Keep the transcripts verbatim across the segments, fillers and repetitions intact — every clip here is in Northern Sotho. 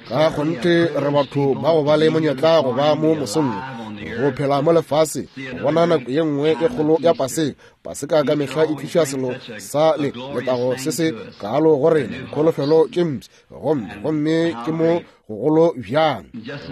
Ka kgonthe re batho ba go ba le monyetla go ba mo mosong go phela mo lefase go bona nako ye nngwe e kgolo ya Paseka. Paseka ka mehla e tliša selo sa le letago se se kaalo go rena, dikholofelo tše mpsha, gomme gomme ke mo gogolo bjang.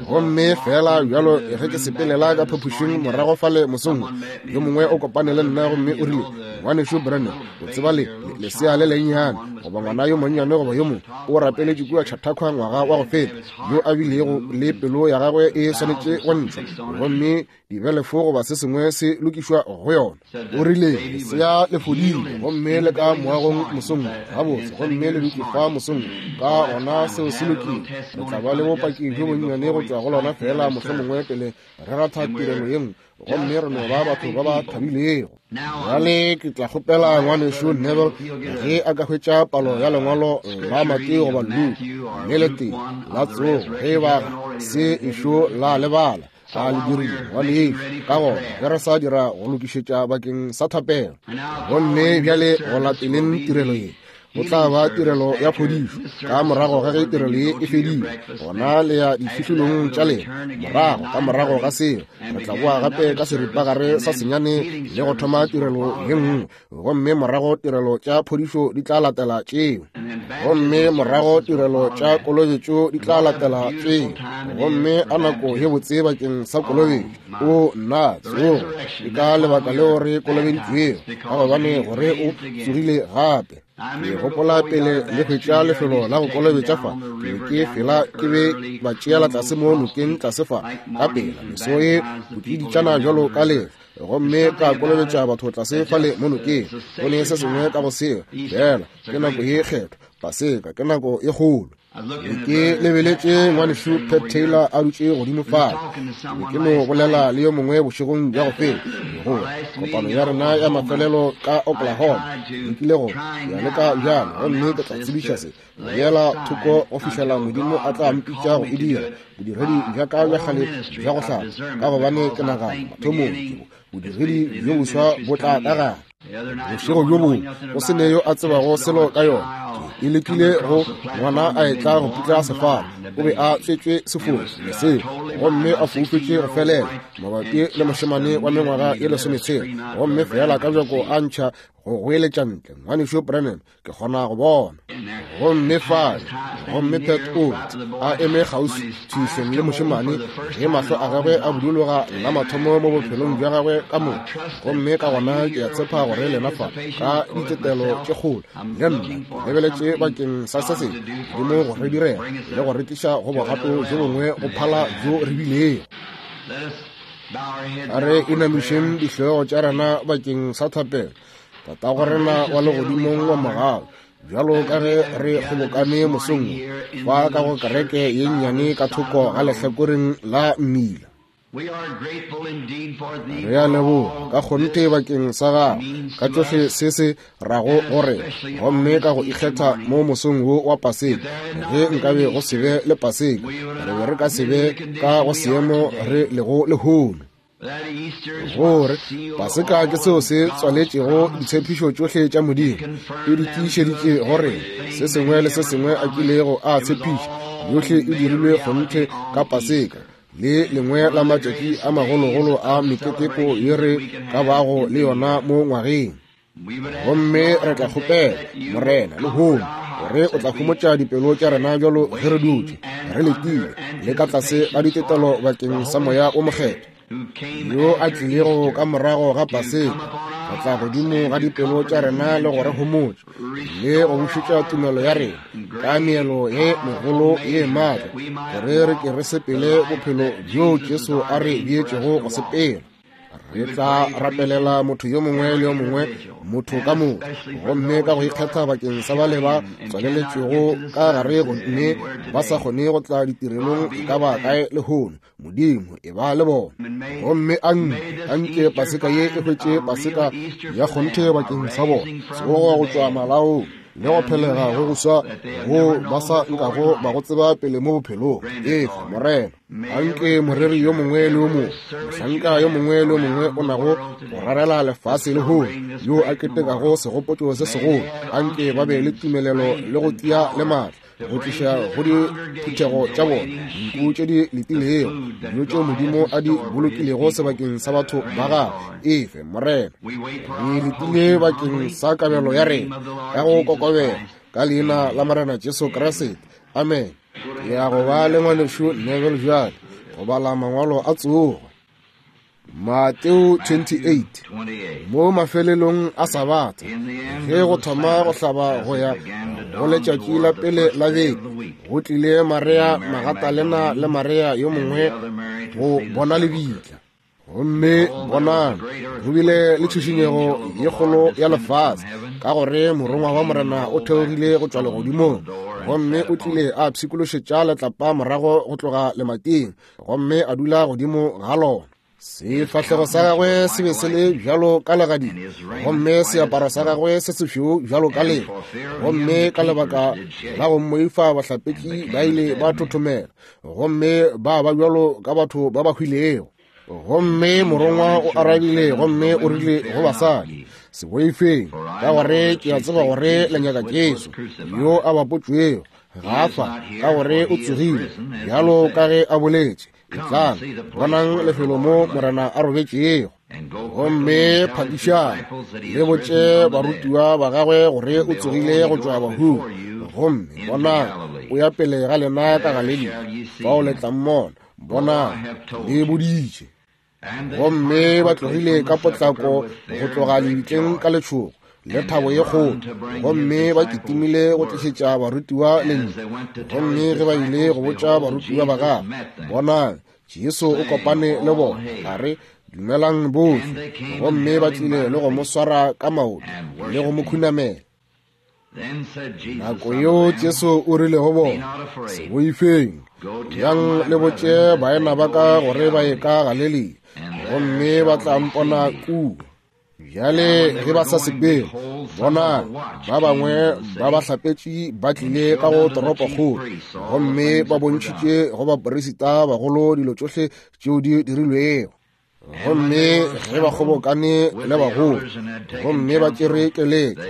Gomme fela bjalo ge ke sepelela ka phaphušing morago fale mosong, yo mongwe o kopane le nna gomme o rile, Ngwanešu Branham, o tseba le lesea le lennyane goba ngwana yo monnyane goba yo mongwe o rapeletše kua Chautauqua ngwaga wa go feta, yo a bilego le pelo ya gagwe e swanetše go ntšhwa gomme dibelefo goba se sengwe se lokišwa go yona. O rile lesea le fodile gomme le ka moagong mosong gabotse, gomme le dutše fa mosong, ka gona seo se lokile. Re tla ba le bopaki bjo bonnyane go tšwa go lona fela mohlomongwe pele re ratha tirelo ye nngwe, gomme re no ba batho ba ba thabilego. Bjale ke tla kgopela ngwanešu Neville ge a ka hwetša palo ya lengwalo la Mateo goba Luka le letee la tsogo, ge ba se ešo la lebala a le dirile ngwanešu. Ka gona ge re sa dira go lokišetša bakeng sa thapelo, gomme bjale go lateleng tirelo ye go tla ba tirelo ya phodišo. Ka morago ga ge tirelo ye e fedile, gona le ya difihlolong tša lena. Morago ka morago ga seo re tla boa gape ka seripagare sa senyane le go thoma tirelo ye nngwe, gomme morago tirelo tša phodišo di tla latela tšeo, gomme morago tirelo tša kolobetšo di tla latela tšeo. Gomme a nako ye botse bakeng sa kolobetšo! O nna, tsogo ke ka lebaka leo re kolobeditšwego, ka gobane gore o tsogile gape. Ke gopola pele le hwetša lefelo la go kolobetša fa, ke be ke fela ke be ba tšeela tlase mo nokeng tlase fa ka pela meso ye botiditšana bjalo ka lefa, gomme ka kolobetša batho tlase fale mo nokeng. Go ne se sengwe ka go seo, fela ke nako ye kgethwa, Paseka ke nako ye kgolo. Ke lebeletše ngwanešu Pat Taylor a dutše godimo fale. Ke ke no bolela le yo mongwe bošegong bja go feta gore kopano ya rena ya mafelelo ka Oklahoma ke go ya leka bjalo, gomme ke tla tsebiša se beela thoko go fihlela Modimo a tla mpitša go e dira bodiredi bja ka bja kgale bja go hlapa, ka gobane ke nagana mathomong bodiredi bjo boswa bo tla ka gare. Bošego bjo bongwe go se ne yo a tsebago selo ka yona, ke lekile go ngwana a etla go putla sefala, o be a tswetšwe sefofu leseo gomme a foufetše go felela mabapi le mošemane wa mengwaga ye lesometshela, gomme fela ka bjako a ntšha go goeletša ntle, Ngwanešu Branham, ke kgona go bona. Gomme fale, gomme Pat Oates a eme kgauswi thušong le mošemane ge mahlo a gagwe a buduloga la mathomo mo bophelong bja gagwe ka moka. Gomme ka gona ke a tshepa gore lena fa ka ditetelo tše kgolo le nna ke lebeletše bakeng sa se sengwe Modimo go re direla le go re tliša go bogato bjo bongwe go phala bjo re bilego. A re inamišeng dihlogo tša rena bakeng sa thapelo. Tatago rena wa legodimong wa mogau, bjalo ka ge re kgobokane mosong fa ka go kereke ye nnyane ka thoko ga lehlakoreng la mmila, re a leboga ka kgonthe bakeng sa gago ka tšohle se se rago gore, gomme ka go ikgetha mo mosong wo wa Paseka. Ge nkabe go se be le Paseka, re be re ka se be ka go seemo re lego lehono. Gore Paseka ke seo se tswaletšego ditshepišo tšohle tša Modimo, e di tiišeditše gore se sengwe le se sengwe a kilego a tshepiša, yohle e dirilwe kgonthe ka Paseka, le lengwe la matšatši a magologolo a meketeko ye re ka bago le yona mo ngwageng. Gomme re tla kgopela Morena lehono gore o tla homotša dipelo tša rena bjalo ge re dutše re letile le ka tlase ga ditetelo bakeng sa Moya o Mokgethwa yo a tlilego ka morago ga Paseka go tla godimo ga dipelo tša rena le go re homotša le go bušetša tumelo ya rena ka meelo ye megolo ye maatla, gore re ke re sepele bophelo bjo Jesu a re beetšego go sepela. Re tla rapelela motho yo mongwe le yo mongwe, motho ka motho, gomme ka go ikgetha bakeng sa bale ba tswaleletšwego ka gare gomme ba sa kgone go tla ditirelong e ka ba kae lehono. Modimo e ba le bona, gomme anke Paseka ye e hwetše Paseka ya kgonthe bakeng sa bona, tsogo go tšwa malaong le go phelega go go swa go ba sa nkago ba go tseba pele mo bophelong. Efa Morena, anke moreri yo mongwe le yo mongwe, mohlanka yo mongwe le yo mongwe o nago go rarela lefase lehono, yo a ketekago segopotšo se segolo, anke ba be le tumelelo le go tia le maatla go tliša go diphuthego tša bona dinku tše di letilego, dijo tšeo Modimo a di bolokilego sebakeng sa batho ba gagwe. Efe, Morena, re letile bakeng sa kabelo ya rena ka go kokobela ka leina la Morena Jesu Kriste. Amen. Ke ya go ba le ngwanešu Neville bjale go bala mangwalo a tsogo. Mateo twenty-eight. Mo mafelelong a Sabatha, ge go thoma go hlaba go ya go letšatši la pele la beke, go tlile Maria Magatalena le Maria yo mongwe go bona lebitla. Gomme bonang, go bile le tšhišinyego ye kgolo ya lefase, ka gore morongwa wa Morena o theogile go tšwa legodimong, gomme o tlile a pshikološetša letlapa morago go tloga lemating, gomme a dula godimo ga lona. Sefahlego sa gagwe se be se le bjalo ka legadima, gomme seaparo sa gagwe se sešweu bjalo ka leo. Gomme ka lebaka la go mmoifa bahlapetši ba ile ba thothomela, gomme ba ba bjalo ka batho ba ba hwilego. Gomme morongwa o arabile gomme o rile go basadi, se boifeng, ka gore ke a tseba gore le nyaka Jesu yo a bapotšwego. Ga fa, ka gore o tsogile bjalo ka ge a boletše. Etlang, bonang lefelo mo Morena a robetšego. Gomme phakišang le botše barutiwa ba gagwe gore o tsogile go tšwa bahung. Gomme bonang, o ya pele ga lena ka Galilea, fao le tla mmona. Bonang, le boditše. Gomme ba tlogile ka potlako go tloga lebitleng ka letšhogo le thabo ye kgolo, gomme ba kitimile go tlišetša barutiwa lentšu. Gomme ge ba ile go botša barutiwa ba gagwe, bonang, Jesu o kopane le bona, a re, dumelang bohle. Gomme ba tlile le go mo swara ka maoto le go mo khunamela. Nako yeo Jesu o rile go bona, se boifeng, yang le botše baena ba ka gore ba ye ka Galilea, gomme ba tla mpona kua. Bjale ge ba sa sepele, bonang, ba bangwe ba bahlapetši ba tlile ka go toropokgolo, gomme ba bontšhitše go baperisita bagolo dilo tšohle tšeo di dirilwego. Gomme ge ba kgobokane le bagolo, gomme ba tšere keletšo,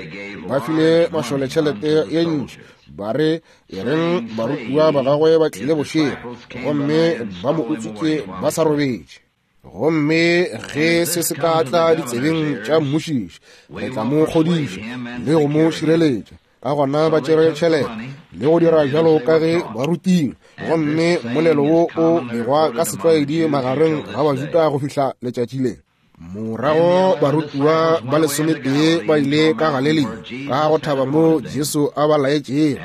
ba file mašole tšhelete ye ntši, ba re, e reng barutiwa ba gagwe ba tlile bošego, gomme ba mo utswitše ba sa robetše. Gomme ge se se ka tla ditsebeng tša mmušiši, re tla mo kgodiša le go mo šireletša. Ka gona ba tšere tšhelete le go dira bjalo ka ge ba rutilwe. Gomme molelo wo o begwa ka setlwaedi magareng ga Bajuda go fihla letšatši le. Morago barutiwa ba lesometee ba ile ka Galilea ka go thaba mo Jesu a ba laetšego.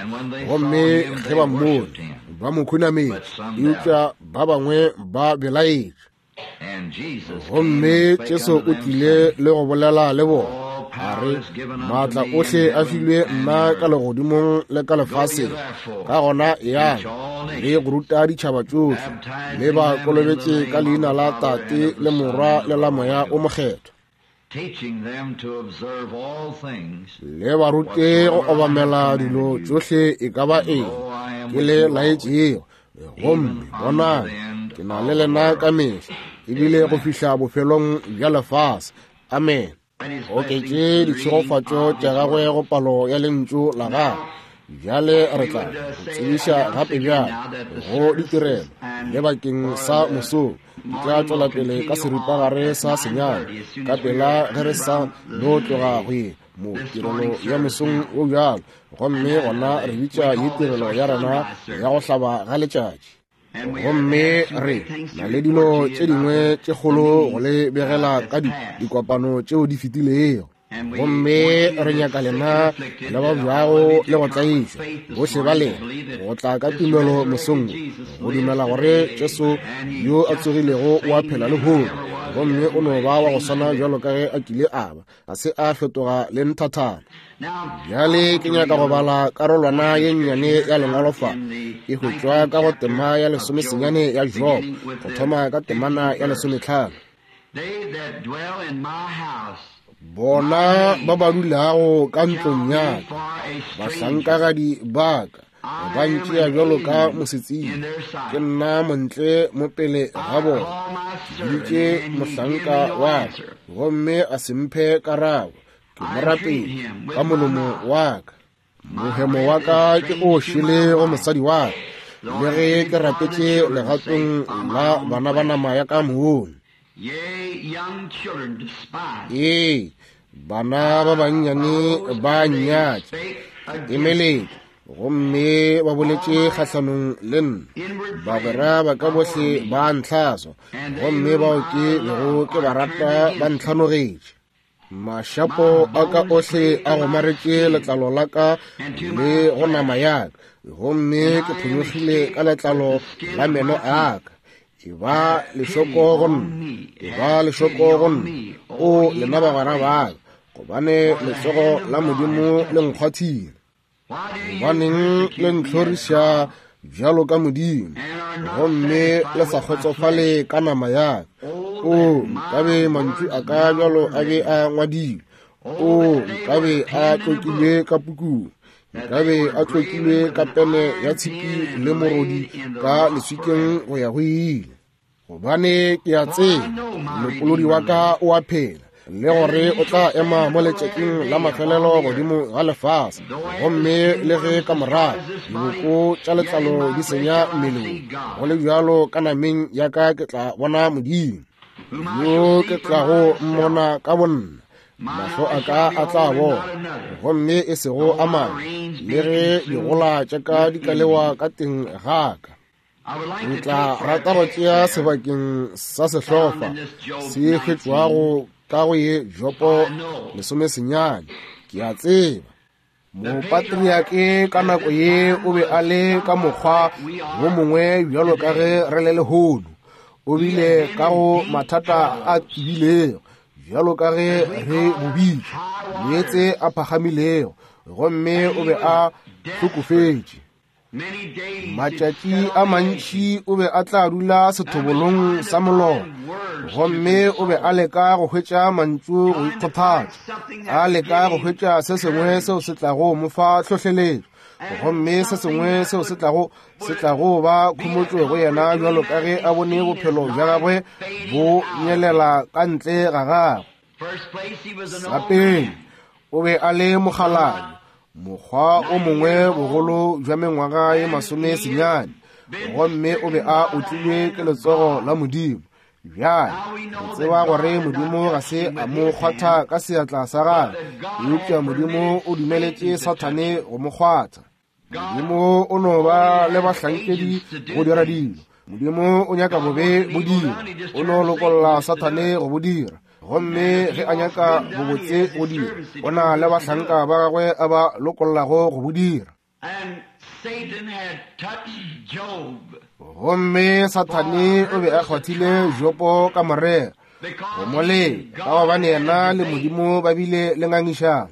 Gomme ge ba mmone, ba mo khunametše, eupša ba bangwe ba belaetše. Gomme Jesu o tlile le go bolela le bona, a re, maatla ohle a filwe nna ka legodimong le ka lefaseng. Ka gona yang le go ruta ditšhaba tšohle, le ba kolobetše ka leina la Tate le Morwa le la Moya o Mokgethwa, le ba rute go obamela dilo tšohle e ka ba eng ke le laetšego. Gomme bonang, ke na le lena ka mehla, ebile go fihla bofelong bja lefase. Amen. Oketše ditšhegofatšo tša gagwe go palo ya lentšu la gagwe. Bjale re tla go tsebiša gape bjale go ditirelo le bakeng sa mosong. Di tla tšwela pele ka seripagare sa senyane ka pela ge re sa no tloga go ye mo tirelo ya mosong o bjalo. Gomme gona re bitša ye tirelo ya rena ya go hlaba ga letšatši. Gomme re na le dilo tše dingwe tše kgolo go le begela ka dikopano tšeo di fetilego. Gomme re nyaka lena le ba bjago le go tlaišwa bohle ba lena go tla ka tumelo mosong, go dumela gore Jesu yo a tsogilego o a phela lehono, gomme o no ba wa go swana bjalo ka ge a kile a ba, ga se a fetoga le nthathana. Bjale ke nyaka go bala karolwana ye nnyane ya lengwalo fa, e hwetšwa ka go tema ya lesomesenyane ya Job, go thoma ka temana ya lesometlhano. Bona ba ba dulago ka ntlong ya ka, bahlankagadi ba ka, ba ntšea bjalo ka mosetsebje. Ke nna montle mo pele ga bona. Ke biditše mohlanka wa ka, gomme a se mphe karabo. Ke mo rapetše ka molomo wa ka. Mohemo wa ka ke o šele go mosadi wa ka, le ge ke rapetše legatong la bana ba nama ya ka mong. Ee, bana ba bannyane ba nnyatša, emeletše, gomme ba boletše kgahlanong le nna. Bagwera ba ka bohle ba ntlhaswa, gomme bao ke bego ke ba rata ba ntlhanogetše. Mašapo a ka ohle a gomaretše letlalo la ka le go nama ya ka, gomme ke phonyokgile ka letlalo la meno a ka. E ba lešoko go nna, e ba lešoko go nna, o lena bagwera ba ka, gobane letsogo la Modimo le nkgwathile. Gobaneng le ntlhoriša bjalo ka Modimo, gomme le sa kgotsofale ka nama ya ka? O nkabe mantšu a ka bjalo a be a ngwadilwe, o nkabe a tlokilwe ka pukung, nkabe a tlokilwe ka pene ya tshipi le morodi ka leswikeng go ya go ile. Gobane ke a tseba molopolodi wa ka o a phela, le gore o tla ema mo letšatšing la mafelelo godimo ga lefase, gomme le ge ka morago diboko tša letlalo di senya mmeleng, go le bjalo ka nameng ya ka ke tla bona Modimo, yo ke tlago mmona ka bonna. Mahlo a ka a tla bona, gomme e sego a mangwe, le ge digola tša ka di ka lewa ka teng ga ka. Ke tla rata go tšea sebakeng sa sehlofa se hwetšwago ka go ye Jopo lesomesenyane. Ke a tseba mopatriake ka nako ye o be a le ka mokgwa wo mongwe bjalo ka ge re le lehono. O bile ka go mathata a tebilego bjalo ka ge re bobitše, meetse a phagamilego, gomme o be a hlokofetše. Matšatši a mantši o be a tla dula sethobolong sa molora, gomme o be a leka go hwetša mantšu go ikgothatša, a leka go hwetša se sengwe seo se tlago mo fa hlohleletšo, gomme se sengwe seo se tlago se tlago ba khomotšo go yena, bjalo ka ge a bone bophelo bja gagwe bo nyelela ka ntle ga gagwe. Sa pele, o be a le mokgalabje, mokgwa o mongwe bogolo bja mengwaga ye masome senyane, gomme o be a otlilwe ke letsogo la Modimo. Bjale re tseba gore Modimo ga se a mo kgwatha ka seatla sa gagwe, eupša Modimo o dumeletše Sathane go mo kgwatha. Modimo o no ba le bahlankedi go dira dilo. Modimo o nyaka bobe bo dira, o no lokolla Sathane go bo dira. Gomme ge a nyaka bobotse go dira, o na le bahlanka ba gagwe a ba lokollago go bo dira. Gomme Sathane o be a kgwathile Jopo ka morero go mo leka, ka gobane yena le Modimo ba bile le ngangišano.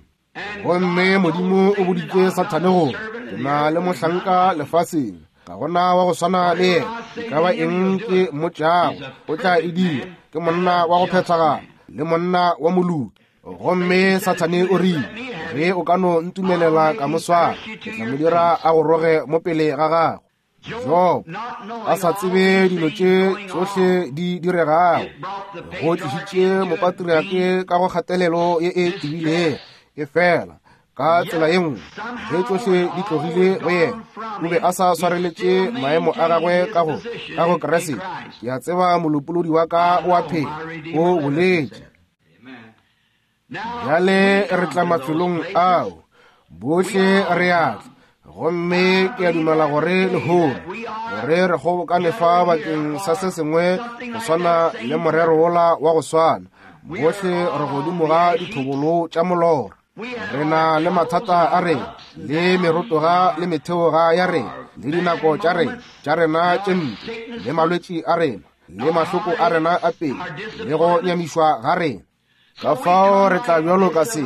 Gomme Modimo o boditše Sathane gore, ke na le mohlanka lefaseng, ga gona wa go swana le yena, e ka ba eng ke mmotšago o tla e dira, ke monna wa go phethagala le monna wa moloki. Gomme Sathane o rile, ge o ka no ntumelela ka mo swara, ke tla mo dira a go roge mo pele ga gago. Job a sa tsebe dilo tše tšohle di diregago, go tlišitše mopatriake ka go kgatelelo ye e tebilego. E fela ka tsela ye nngwe, ge tšohle di tlogile go yena, o be a sa swareletše maemo a gagwe ka go ka go Kriste. Ke a tseba molopolodi wa ka o a phela, o boletše. Bjale re tla mafelong ao, bohle re a tla, gomme ke a dumela gore lehono gore re kgobokane fa bakeng sa se sengwe go swana le morero wola wa go swana. Bohle re godimo ga dithobolo tša molora. Re na le mathata a rena, le merotoga le metheoga ya rena, le dinako tša rena tša rena tše mpe, le malwetši a rena, le mahloko a rena a pele, le go nyamišwa ga rena. Ka fao re tla bjalo ka se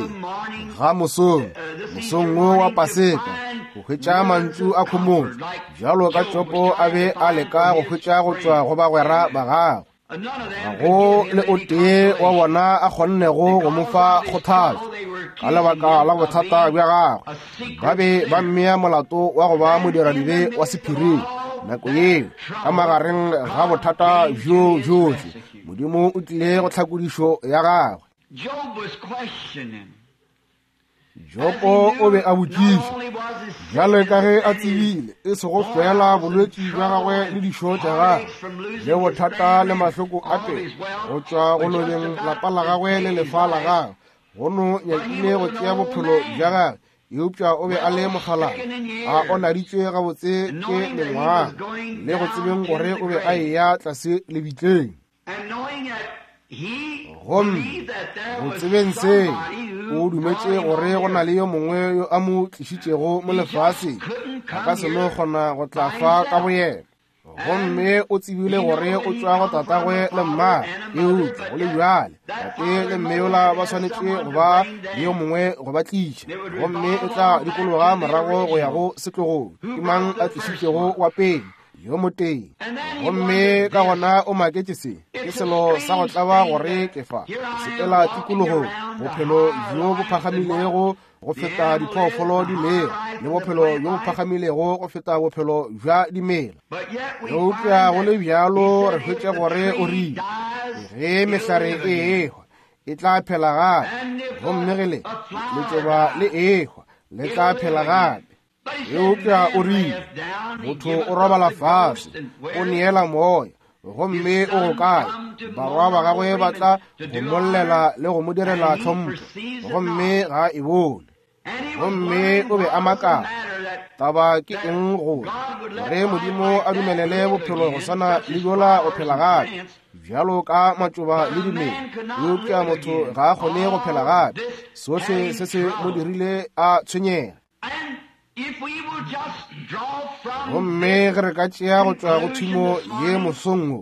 ga mosong, mosong wo wa Paseka, go hwetša mantšu a khomotšo, bjalo ka Jopo a be a leka go hwetša go tšwa go bagwera ba gagwe. Ga go le o tee wa bona a kgonnego go mo fa kgothatšo ka lebaka la bothata bja gagwe. Ba be ba mmea molato wa go ba modiradibe wa sephiring nako yeo. Ka magareng ga bothata bjo bjohle, Modimo o tlile go tlhakodišo ya gagwe. Jopo o be a botšiša, bjale ka ge a tsebile e sego fela bolwetši bja gagwe le dišo tša gagwe le bothata le mahloko a pele go tšwa go lobeng lapa la gagwe le lefa la gagwe, go no nyakile go tšea bophelo bja gagwe, eupša o be a le mokgalana, a onaditšwe gabotse ke mengwaga, le go tsebeng gore o be a eya tlase lebitleng. Gomme go tsebeng se, o dumetše gore go na le yo mongwe yo a mo tlišitšego mo lefaseng, a ka se no kgona go tla fa ka boyena. Gomme o tsebile gore o tšwa go tatagwe le mmagwe, eupša go le bjale tate le mme yola ba swanetše go ba le yo mongwe go ba tliša, gomme e tla dikologa morago go ya go setlogong. Ke mang a tlišitšego wa pele? Yo motee. Gomme ka gona o maketše se, ke selo sa go tlaba gore ke fa sepela tikologong, bophelo bjo bo phagamilego go feta diphoofolo dimela, le bophelo bjo bo phagamilego go feta bophelo bja dimela. Eupša go le bjalo re hwetša gore o rile ge mehlare e ehwa e tla phela gape, gomme ge le letšoba le ehwa le tla phela gape. Eupša o rile motho o robala fase, o neela moya, gomme o go kae? Barwa ba gagwe ba tla go mollela le go mo direla tlhompho, gomme ga e bone. Gomme o be a makala, taba ke eng gore gore Modimo a dumelele bophelo go swana le bjola go phela gape bjalo ka matšoba le dimela, eupša motho ga a kgone go phela gape. Sohle se se mo dirile a tshwenyega. Gomme ge re ka tšea go tšwa go thumo ye mosong wo,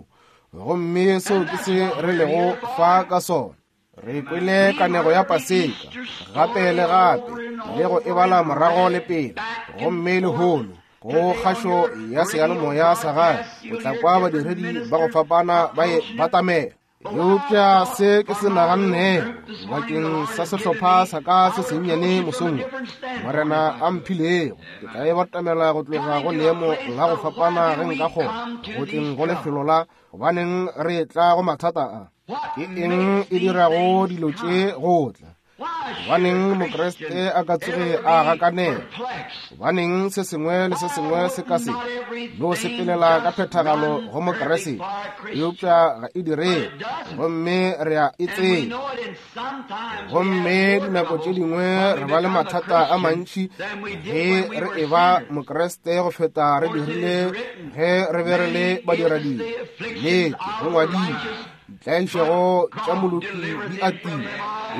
gomme seo ke se re lego fa ka sona. Re kwele kanego ya Paseka gape le gape, le go e bala morago le pele, gomme lehono go kgašo ya seyalemoya sa gae o tla kwa badiredi ba go fapana ba e batamela. Eupša se ke se nagannego bakeng sa sehlopha sa ka se sennyane mosong Morena a mphilego, ke tla e batamela go tloga go leemo la go fapana ge nka kgona, go tleng go lefelo la gobaneng re tla go mathata a. Ke eng e dirago dilo tše go tla? Gobaneng Mokriste a ka tsoge a gakanega? Gobaneng se sengwe le se sengwe se ka se no sepelela ka phethagalo go Mokriste, eupša ga e direge, gomme re a e tseba. Gomme dinako tše dingwe re ba le mathata a mantši ge re e ba Mokriste go feta re dirile ge re be re le badiradibe. Nnete, go ngwadilwe, ditlaišego tša moloki di atile,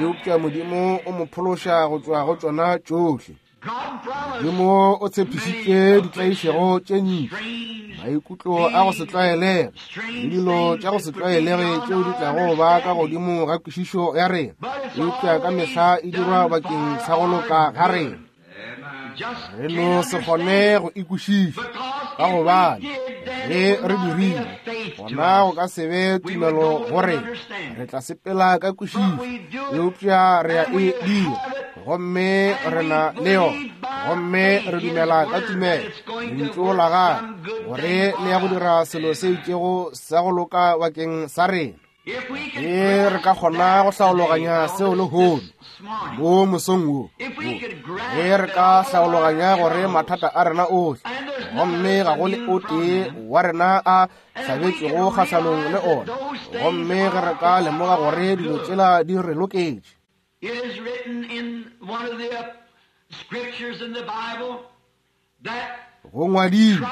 eupša Modimo o mo phološa go tšwa go tšona tšohle. Modimo o tshepišitše ditlaišego tše ntši, maikutlo a go se tlwaelege le dilo tša go se tlwaelege tšeo di tlago ba ka godimo ga kwešišo ya rena, eupša ka mehla e dirwa bakeng sa go loka ga rena. Re no se kgone go ikwešiša, ka gobane ge re dirile gona go ka se be tumelo gore re tla sepela ka kwešišo, eupša re a e dira, gomme re na le yona, gomme re dumela ka tumelo lentšu la gagwe gore le ya go dira selo se itšego sa go loka bakeng sa rena. Ge re ka kgona go hlaologanya seo lehono mo mosong wo, ge re ka hlaologanya gore mathata a rena ohle, gomme ga go le o tee wa rena a hlabetšego kgahlanong le ona, gomme ge re ka lemoga gore dilo tšela di re loketše. Go ngwadilwe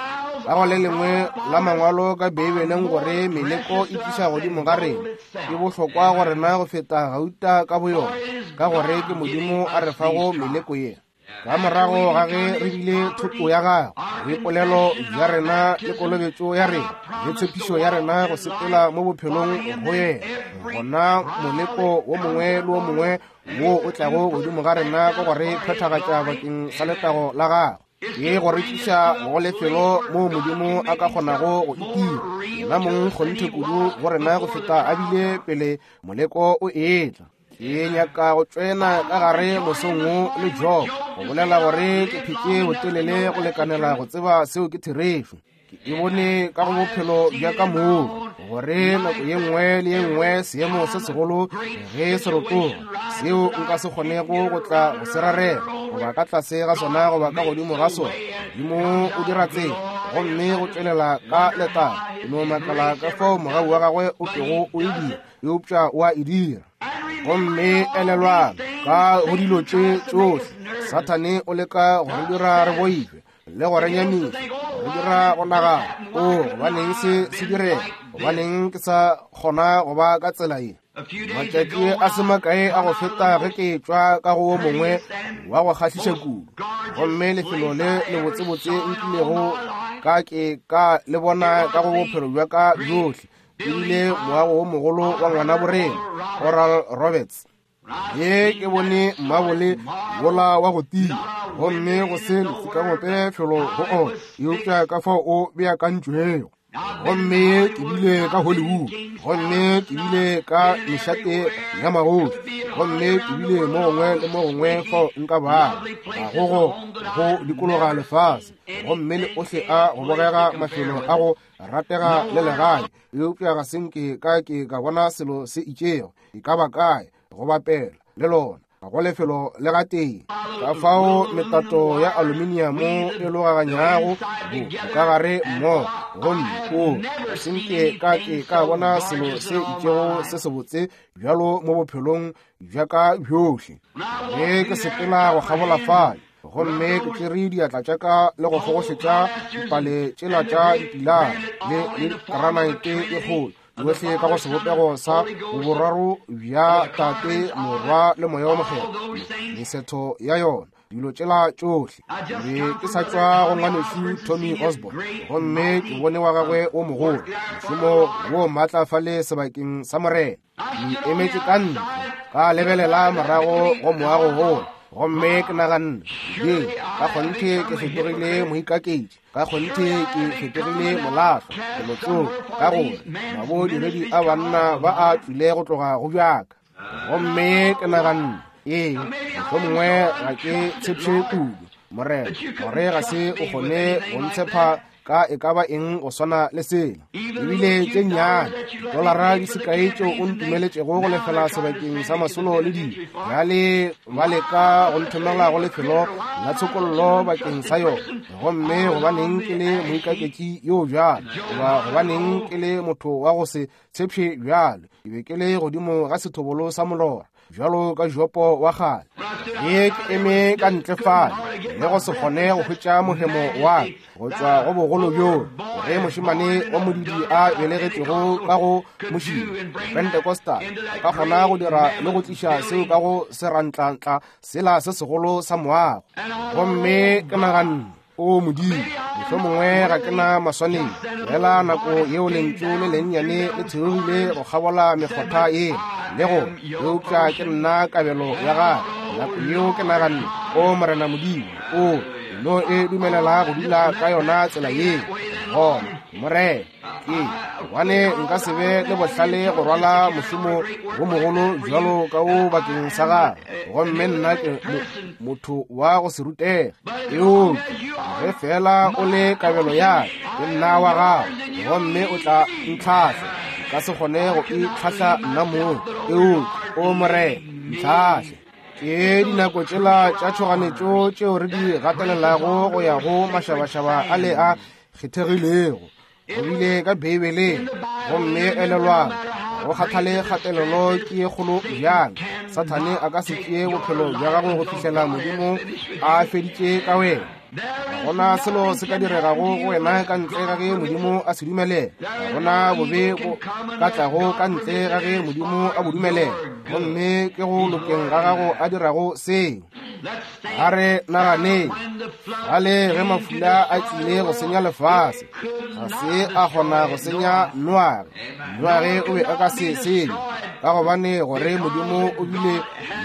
ka go le lengwe la mangwalo ka Beibeleng gore meleko e tliša godimo ga rena e bohlokwa go rena go feta gauta ka boyona, ka gore ke Modimo a re fago meleko ye. Ka morago ga ge re bile thoto ya gagwe, boipolelo bja rena le kolobetšo ya rena le tshepišo ya rena go sepela mo bophelong go yena, gona moleko wo mongwe le wo mongwe wo o tlago godimo ga rena ke gore phethagatša bakeng sa letago la gagwe, ke go re tliša go lefelo moo Modimo a ka kgonago go itira yena mong kgonthe kudu go rena go feta a bile pele moleko o etla. Ke nyaka go tsena ka gare mosong wo le Job go bolela gore ke phetše botelele go lekanela go tseba seo ke therešo. Ke e bone ka go bophelo bja ka moo, gore nako ye nngwe le ye nngwe seemo se segolo ge se rotoga, seo nka se kgonego go tla go se rarela, goba ka tlase ga sona goba ka godimo ga sona, Modimo o dira tsela, gomme go tšwelela ka letago. Ke no makala ka fao mogau wa gagwe o kego o e dira, eupša o a e dira. Gomme elelwang, ka go dilo tše tšohle, Sathane o leka go re dira re boife le go re nyamiša, go dira go nagana, o gobaneng se se direga, gobaneng ke sa kgona go ba ka tsela ye. Matšatši a se makae a go feta ge ke tšwa ka go wo mongwe wa go kgahliša kudu, gomme lefelo le lebotsebotse nkilego ka ke ka le bona ka go bophelo bja ka bjohle, ebile moago wo mogolo wa ngwana borena Oral Roberts. Ye ke bone mmabole wola wa go tia, gomme go se lefikagope felo go ona, eupša ka fao o beakantšwego. Gomme ke bile ka Hollywood, gomme ke bile ka mešate ya magoši, gomme ke bile mo gongwe le mo gongwe fao nka bago, ga go go go dikologa lefase, gomme le ohle a go bogega mafelo a go ratega le legae, eupša ga se nke ka ke ka bona selo se itšego e ka ba kae go bapela le lona, ga go lefelo le gatee. Ka fao metato ya aluminiamo e logaganyago bo ka gare mmogo, gomme o ga se nke ka ke ka bona selo se itšego se sebotse bjalo mo bophelong bja ka bjohle. Ge ke sepela go kgabola fale, gomme ke tšere diatla tša ka le go fogošetša dipale tšela tša dipilara le le granaete e kgolo, yohle ka go sebopego sa boraro bja Tate, Morwa le Moya wo Mokgethwa, mesetho ya yona, dilo tšela tšohle. Be ke sa tšwa go ngwanešu Tommy Osborn, gomme ke bone wa gagwe wo mogolo, mošomo wo maatla fale sebakeng sa Morena. Ke emetše ka ntle, ka lebelela morago go moago wola, gomme ke naganne, ye ka kgonthe ke fetogile moikaketši, ka kgonthe ke fetogile molahlwa, felotsoko, ka gore mabodiredi a banna ba a tšwile go tloga go bjaka. Gomme ke naganne, ee, mohlomongwe ga ke tshepše kudu, Morena, gore ga se o kgone go ntshepa ka e ka ba eng go swana le sela. Ebile tše nnyane dolara di sekae tšeo o ntumeletšego go lefela sebakeng sa masolo le dilo, bjale ba leka go nthomela go lefelo la tshokollo bakeng sa yona. Gomme gobaneng ke le moikaketši yo bjalo, goba gobaneng ke le motho wa go se tshepše bjalo? Ke be ke le godimo ga sethobolo sa molora, bjalo ka Jopo wa kgale. Ge ke eme ka ntle fale le go se kgone go hwetša mohemo wa ka go tšwa go bogolo bjo, ge mošemane wa modidi a belegetšwego ka go mošima Pentecostal a ka kgona go dira le go tliša seo ka go serantlantla sela se segolo sa moago. Gomme ke naganne, o Modimo, mohlomongwe ga ke na maswanedi, fela nako yeo lentšu le lennyane le theogile go kgabola mekgotha ye le go, eupša ke nna kabelo ya gagwe. Nako yeo ke naganne, o Morena Modimo, o no e dumelela go dula ka yona tsela ye. Gona Morena, ke gobane nka se be le bohlale go rwala mošomo wo mogolo bjalo ka wo bakeng sa gagwe, gomme nna ke motho wa go se rutege. Eupša ge fela o le kabelo ya ka, ke nna wa gago, gomme o tla ntlhahla. Nka se kgone go itlhahla nna mong, eupša o Morena, ntlhahle. Ke dinako tšela tša tšhoganetšo tšeo re di gatelelago go ya go mašabašaba a le a kgethegilego. Go bile ka Beibeleng, gomme elelwang, go kgathale kgatelelo ke ye kgolo bjang, Sathane a ka se tšee bophelo bja gago go fihlela Modimo a feditše ka wena. Ga gona selo se ka diregago go wena ka ntle ga ge Modimo a se dumelela. Ga gona bobe bo ka tlago ka ntle ga ge Modimo a bo dumelela. Gomme ke go lokeng ga gago a dirago seo. A re naganeng, gale ge mafula a tlile go senya lefase, ga se a kgona go senya Noage. Noage o be a ka se senye, ka gobane gore Modimo o bile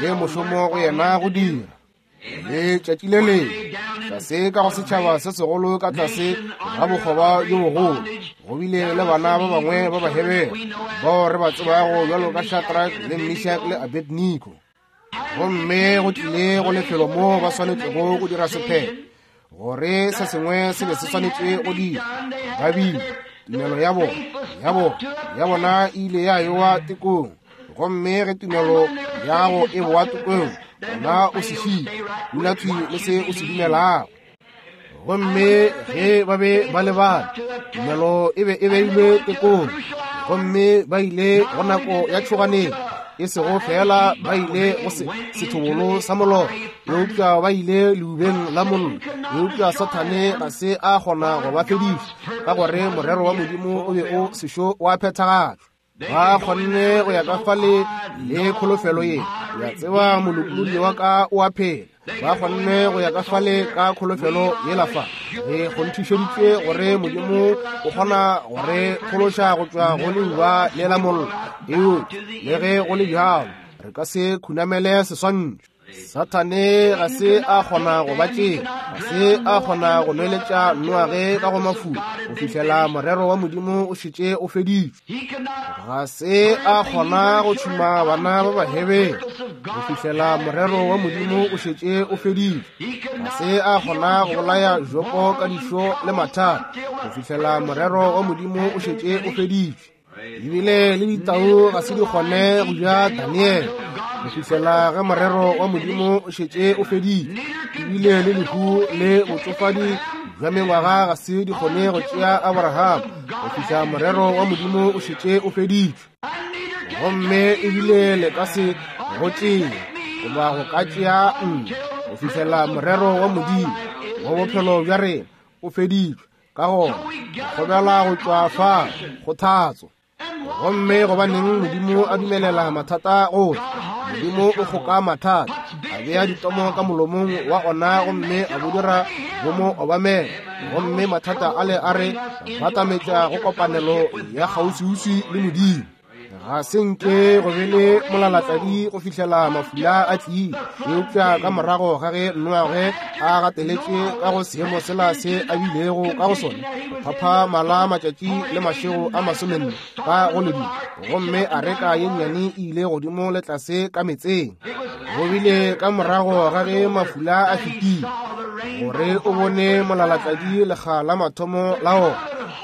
le mošomo go yena go dira. Letšatši le lengwe, tlase ka go setšhaba se segolo ka tlase ga bokgoba bjo bogolo, go bile le bana ba bangwe ba Bahebere bao re ba tsebago bjalo ka Shadrach le Meshach le Abednego. Gomme go tlile go lefelo moo ba swanetšego go dira sephetho. gore se sengwe se be se swanetše go dira. Ba bile tumelo ya bona ya bona ya bona e ile ya ewa tekong, gomme ge tumelo ya gago e boa tekong, gona o se šie, dula thwi le se o se dumelago. Gomme ge ba be ba lebala, tumelo e be e beilwe tekong, gomme ba ile go nako ya tšhoganetšo, e sego fela ba ile go sethobolo sa molora, eupša ba ile leubeng la mollo. Eupša Sathane ga se a kgona go ba fediša, ka gore morero wa Modimo o be o sešo wa phethagatšwa. Ba kgonne go ya ka fale le kholofelo ye, ya tseba molokolodi wa ka o a phela. Ba kgonne go ya ka fale ka kholofelo yela fa. Re kgonthišeditšwe gore Modimo o kgona go re phološa go tšwa go leuba le la mollo, eupša le ge go le bjalo re ka se khunamele seswantšho. Sathane ga se a kgona go ba tšea, ga se a kgona go nweletša Noage ka go mafula go fihlela morero wa Modimo o šetše o feditšwe. Ga se a kgona go tšhuma bana ba Bahebere go fihlela morero wa Modimo o šetše o feditšwe. Ga se a kgona go bolaya Jopo ka dišo le mathata go fihlela morero wa Modimo o šetše o feditšwe. Ebile le ditau ga se di kgone go ja Daniel go fihlela ge morero wa Modimo o šetše o feditšwe. Ebile le lehu le botšofadi bja mengwaga ga se di kgone go tšea Abraham go fihla morero wa Modimo o šetše o feditšwe. Gomme ebile le ka se go tšee goba go ka tšea nna go fihlela morero wa Modimo wa bophelo bja rena o feditšwe. Ka gona kgobela go tšwa fa kgothatso. Gomme gobaneng Modimo a dumelela mathata go tla? Modimo o kgoka mathata, a bea ditomo ka molomong wa ona, gomme a bo dira bo mo obamela. Gomme mathata ale a re batametša go kopanelo ya kgauswiuswi le Modimo. Ga se nke go be le molalatladi go fihlela mafula a tlile, eupša ka morago ga ge Noage a gateletše ka go seemo sela se a bilego ka go sona, go phapha mala matšatši le mašego a masomenne ka go ledimo, gomme areka ye nnyane e ile godimo le tlase ka metseng. Go bile ka morago ga ge mafula a fetile gore o bone molalatladi lekga la mathomo la ona,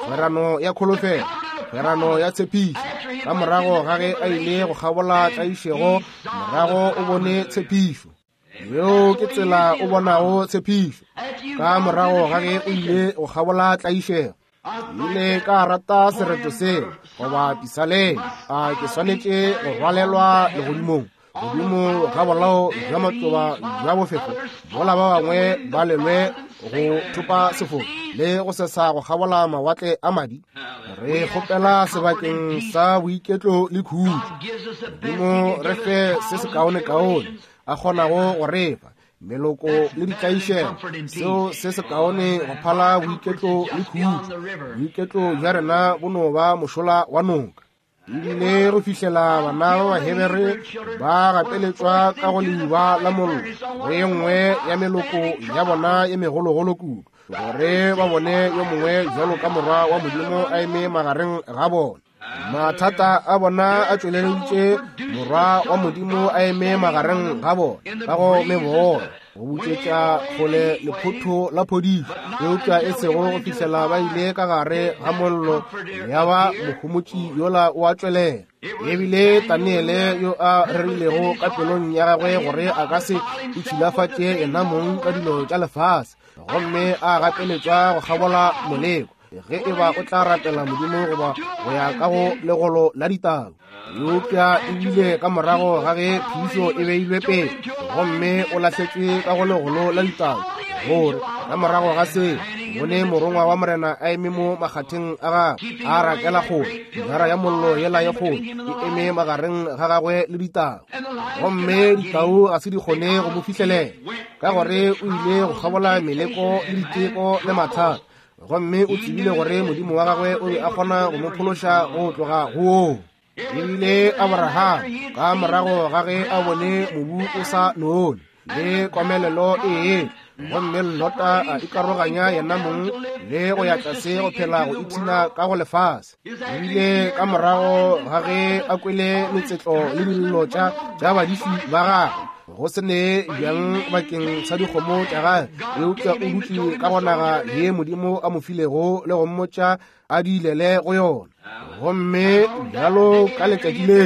kgwerano ya kholofelo, kgwerano ya tshepišo. Ka morago ga ge a ile go kgabola tlaišego, morago o bone tshepišo. Yeo ke tsela o bonago tshepišo, ka morago ga ge o ile go kgabola tlaišego. Ile ka rata sereto seo goba pisaleng, a ke swanetše go rwalelwa legodimong, godimo ga bolao bja matloba bja bofefo, bola ba bangwe ba lelwe go thopa sefofo le go sesa go kgabola mawatle a madi. Re kgopela sebakeng sa boiketlo le khutšo. Modimo re fe se sekaonekaone a kgonago go re fa, meloko le ditlaišego, seo se sekaone go phala boiketlo le khutšo. Boiketlo bja rena bo no ba mošola wa noka. Ebile go fihlela bana ba Bahebere ba gateletšwa ka go leuba la mollo go ye nngwe ya meloko ya bona ye megologolo kudu, gore ba bone yo mongwe bjalo ka morwa wa Modimo a eme magareng ga bona. Mathata a bona a tšweleleditše morwa wa Modimo a eme magareng ga bona ka go mebola, go butšetša kgole lephotho la phodišo, eupša e sego go fihlela ba ile ka gare ga mollo ya ba mohomotši yola o a tšwelela. Ebile Daniele yo a rerilego ka pelong ya gagwe gore a ka se itšhilafatše yena mong ka dilo tša lefase, gomme a gapeletšwa go kgabola moleko ge e ba o tla rapela Modimo goba go ya ka go legolo la ditau. Eupša ebile ka morago ga ge phišo e beilwe pele, gomme o lahletšwe ka go legolo la ditau, gore ka morago ga se bone morongwa wa Morena a eme mo makgatheng a gagwe, a rakela kgole, jara ya mollo yela ye kgolo e eme magareng ga gagwe le ditau, gomme ditau ga se di kgone go mo fihlelela, ka gore o ile go kgabola meleko le diteko le mathata, gomme o tsebile gore Modimo wa gagwe o be a kgona go mo phološa go tloga go woo. Ebile Abraham ka morago ga ge a bone mobu o sa none le komelelo e, gomme Lota a ikaroganya yena mong le go ya tlase go phela go ipshina ka go lefase. Ebile ka morago ga ge a kwele metsetlo le dillo tša tša badiši ba gagwe, go se ne bjang bakeng sa dikgomo tša gagwe, eupša o dutše ka go naga ye Modimo a mo filego le go mmotša a di ilele go yona. Gomme bjalo ka letšatši le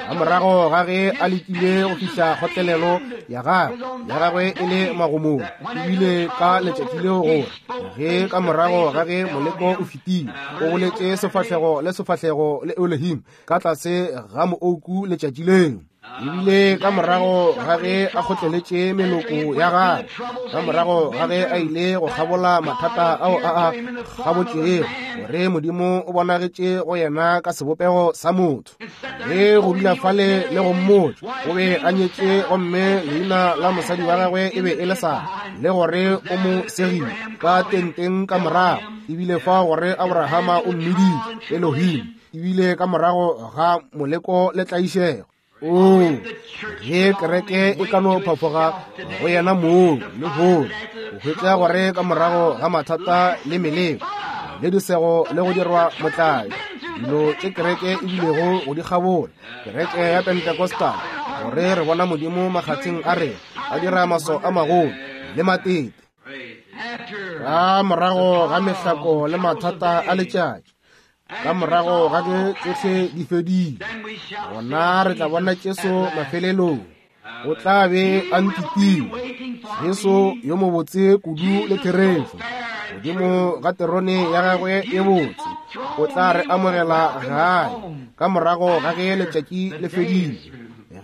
ka morago ga ge a lekile go fihla kgotlelelo ya gagwe ya gagwe e le magomong, ebile ka letšatši leo gore ge ka morago ga ge moleko o fetile, o boletše sefahlego le sefahlego le Elohim ka tlase ga moouku letšatši leo. Ebile ka morago ga ge a kgotleletše meloko ya gagwe, ka morago ga ge a ile go kgabola mathata ao a a kgabotšego, gore Modimo o bonagetše go yena ka sebopego sa motho, ge go dula fale le go mmotša o be a nyetše gomme leina la mosadi wa gagwe e be e le Sara, le gore o mo segile ka tenteng ka morago, ebile fa gore Abrahama o mmiditše Elohim, ebile ka morago ga moleko le tlaišego. O, ge kereke e ka no phafoga go yena moo le hono, o hwetša gore ka morago ga mathata le meleko le disego le go dirwa motlae, dilo tše kereke e bilego go di kgabola, kereke ya Pentecostal, gore re bona Modimo makgatheng a rena a dira maso a magolo le matete. Ka morago ga mehlako le mathata a letšatši, ka morago ga ge tšohle di fedile, gona re tla bona Jesu mafelelong. O tla be a nkitile, Jesu yo mobotse kudu le therešo, godimo ga terone ya gagwe e botse, o tla re amogela gae ka morago ga ge letšatši le fedile.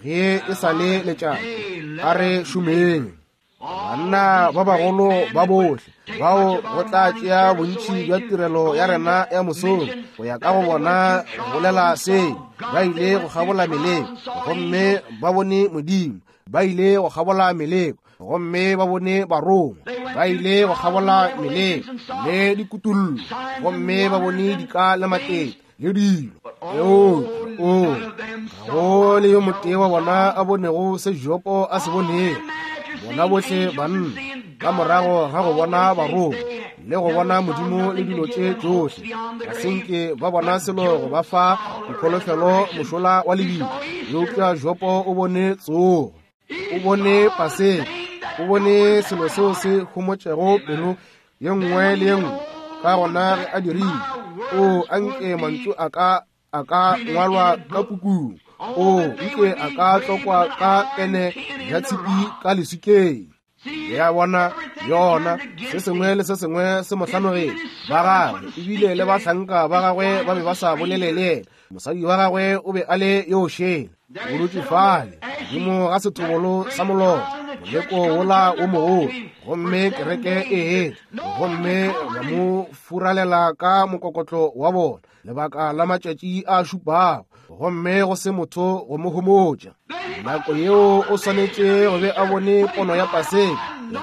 Ge e sa le letšatši, a re šomeng. Banna ba bagolo ba bohle bao go tla tšea bontši bja tirelo ya rena ya mosong go ya ka go bona bolela se, ba ile go kgabola meleko gomme ba bone Modimo, ba ile go kgabola meleko gomme ba bone barongwa, ba ile go kgabola meleko le dikutullo gomme ba bone dika le matete le dilo. O, o, ga go le yo motee wa bona a bonego se Jopo a se bonego. Bona bohle banna ka morago ga go bona barongwa le go bona Modimo le dilo tše tšohle, ga se nke ba bona selo go ba fa dikholofelo mošola wa lebitla. Eupša Jopo o bone tsogo, o bone Paseka, o bone selo seo se homotšego pelo ye nngwe le ye nngwe. Ka gona ge a dirile, o anke mantšu a ka a ka ngwalwa ka pukung, o nke a ka tlokwa ka pene ya tshipi ka leswikeng. Ya bona yona, se sengwe le se sengwe se mo hlanogetše. Ba gagwe ebile le bahlanka ba gagwe ba be ba sa bolele le yena. Mosadi wa gagwe o be a le yo šele, o dutše fale godimo ga sethobolo sa molora, moleko wola o mogolo, gomme kereke e etla gomme ba mo furalela ka mokokotlo wa bona lebaka la matšatši a šupago, gomme go se motho go mo homotša. Nako yeo o swanetše go be a bone pono ya Paseka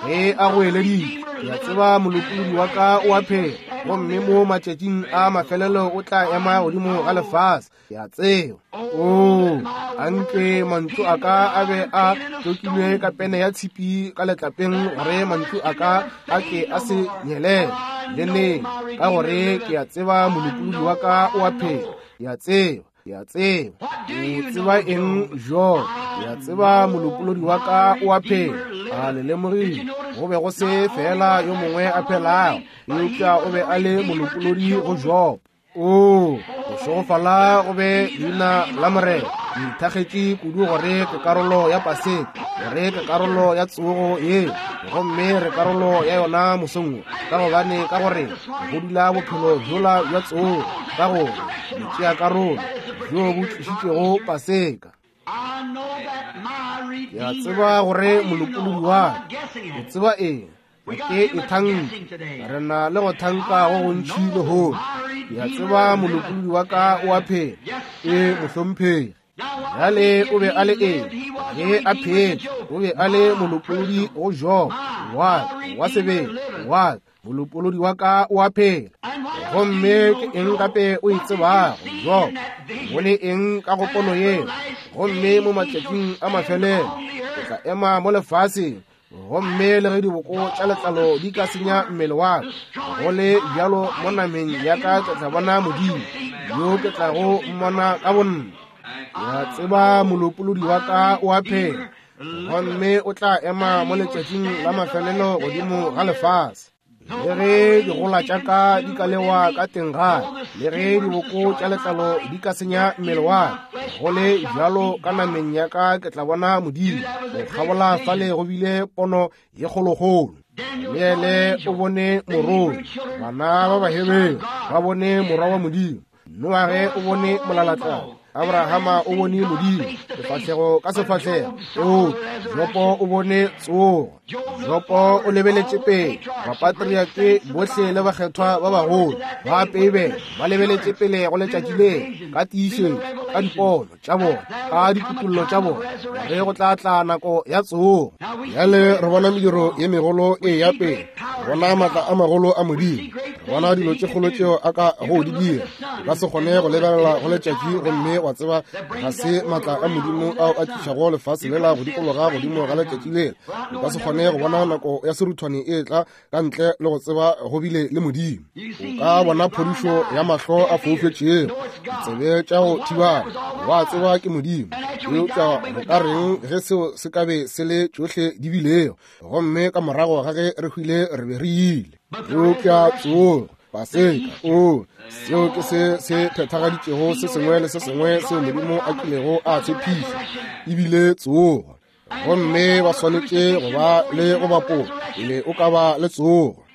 ge a goeleditše, ke a tseba molopolodi wa ka o a phela, gomme mo matšatšing a mafelelo o tla ema godimo ga lefase, ke a tseba. O, anke mantšu a ka a be a tlokilwe ka pene ya tshipi ka letlapeng, gore mantšu a ka a ke a se nyelele le neng, ka gore ke a tseba molopolodi wa ka o a phela. Ke a tseba, ke a tseba. O tseba eng, Job? Ke a tseba molopolodi wa ka o a phela. A le lemogile, go be go se fela yo mongwe a phelago, eupša o be a le molopolodi go Job. O, go šegofala go be leina la Morena. Ke ithakgetše kudu gore ke karolo ya Paseka, gore ke karolo ya tsogo ye, gomme re karolo ya yona mosong wo, ka gobane ka gore go dula bophelo bjola bja tsogo, ka gore botšea karolo bjo bo tlišitšego Paseka. Ke a tseba gore molopolodi wa ka o tseba eng. Ke e thanka, re na le go thanka go gontši lehono. Ke a tseba molopolodi wa ka o a phela, e mohlomphegi. Bjale o be a le eng ge a phetše? O be a le molopolodi go Job wa wa sebele wa molopolodi wa ka o a phela. Gomme ke eng gape o e tsebago, Job? Bone eng ka go pono yeo? Gomme mo matšatšing a mafelelo o tla ema mo lefaseng, gomme le ge diboko tša letlalo di ka senya mmele wa ka, go le bjalo mo nameng ya ka ke tla bona Modimo, yo ke tlago mmona ka bonna. Ke a tseba molopolodi wa ka o a phela. Gomme o tla ema mo letšatšing la mafelelo godimo ga lefase. Le ge digola tša ka di ka lewa ka teng ga, le ge diboko tša letlalo di ka senya mmele wa ka, go le bjalo ka nameng ya ka ke tla bona Modimo. Go kgabola fale go bile pono ye kgolokgolo. Daniele o bone morongwa, bana ba Bahebere ba bone morwa wa Modimo, Noage o bone molalatladi, Abrahama o bone Modimo sefahlego ka sefahlego, o Jopo o bone tsogo, Jopo o lebeletše pele, bapatriake bohle le bakgethwa ba bagolo ba Beibele ba lebeletše pele go letšatši le ka tiišetšo, ka dipono tša bona, ka dikutullo tša bona, gore go tla tla nako ya tsogo. Bjale re bona mediro ye megolo e ya pele, re bona maatla a magolo a Modimo, re bona dilo tše kgolo tšeo a ka go di dira. O ka se kgone go lebelela go letšatši gomme wa tseba ga se maatla a Modimo ao a tlišago lefase lela go dikologa godimo ga letšatši lela. O ka se kgone go bona nako ya seruthwane e tla ka ntle le go tseba go bile le Modimo. O ka bona phodišo ya mahlo a foufetšego, ditsebe tša go thibana, wa tseba ke Modimo. Eupša go ka reng ge seo se ka be se le tšohle di bilego, gomme ka morago ga ge re hwile re be re ile? Eupša tsogo, Paseka, o seo ke se se phethagaditšego se sengwe le se sengwe seo Modimo a kilego a tshepiša, ebile tsogo. Gomme ba swanetše go ba le go bapola pele o ka ba le tsogo.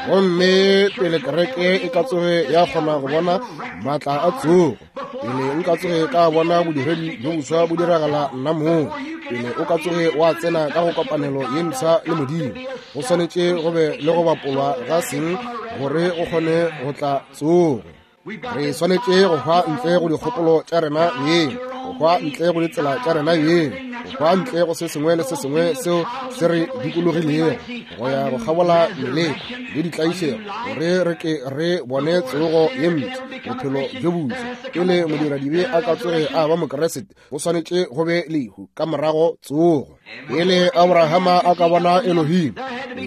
Gomme pele kereke e ka tsoge ya kgona go bona maatla a tsogo, pele nka tsoge ka bona bodiredi bjo boswa bo diragala nna mong, pele o ka tsoge wa tsena ka go kopanelo ye mpsha le Modimo, go swanetše go be le go bapolwa ga seng gore go kgone go tla tsogo. Re swanetše go hwa ntle go dikgopolo tša rena beng, go hwa ntle go ditsela tša rena beng, go hwa ntle go se sengwe le se sengwe seo se re dikologilego, go ya go kgabola meleko le ditlaišego, gore re ke re bone tsogo ye mpsha, bophelo bjo boswa. Pele modiradibe a ka tsoge a ba Mokeresete, go swanetše go be lehu, ka morago tsogo. Pele Abrahama a ka bona Elohim,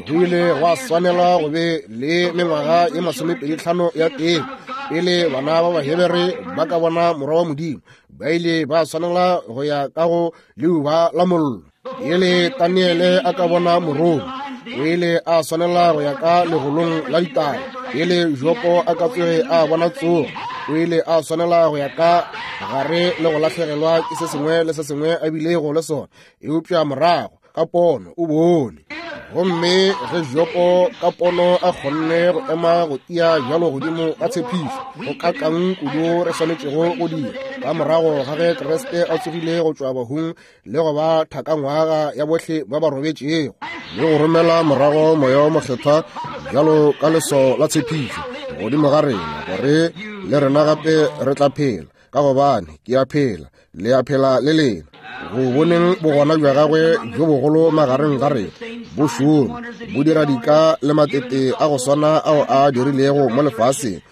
go ile gwa swanela go be le mengwaga ye masomepedi tlhano ya teng. Pele bana ba Bahebere ba ka bona morwa wa Modimo, ba ile ba swanela go ya ka go leuba la mollo. Pele Daniele a ka bona morongwa, o ile a swanela go ya ka legolong la ditau. Pele Jopo a ka tsoge a bona tsogo, o ile a swanela go ya ka gare le go lahlegelwa ke se sengwe le se sengwe a bilego le sona, eupša morago ka pono o bone. Gomme ge Jopo ka pono a kgonne go ema go tia bjalo godimo ga tshepišo, go kakang kudu re swanetšego go dira ka morago ga ge Kriste a tsogile go tšwa bahung le go ba thakangwaga ya bohle ba ba robetšego, le go romela morago Moya wo Mokgethwa bjalo ka leswao la tshepišo godimo ga rena, gore le rena gape re tla phela, ka gobane ke a phela, le a phela le lena. Go boneng bogona bja gagwe bjo bogolo magareng ga rena, bo šoma, bo dira dika le matete a go swana ao a dirilego mo lefaseng,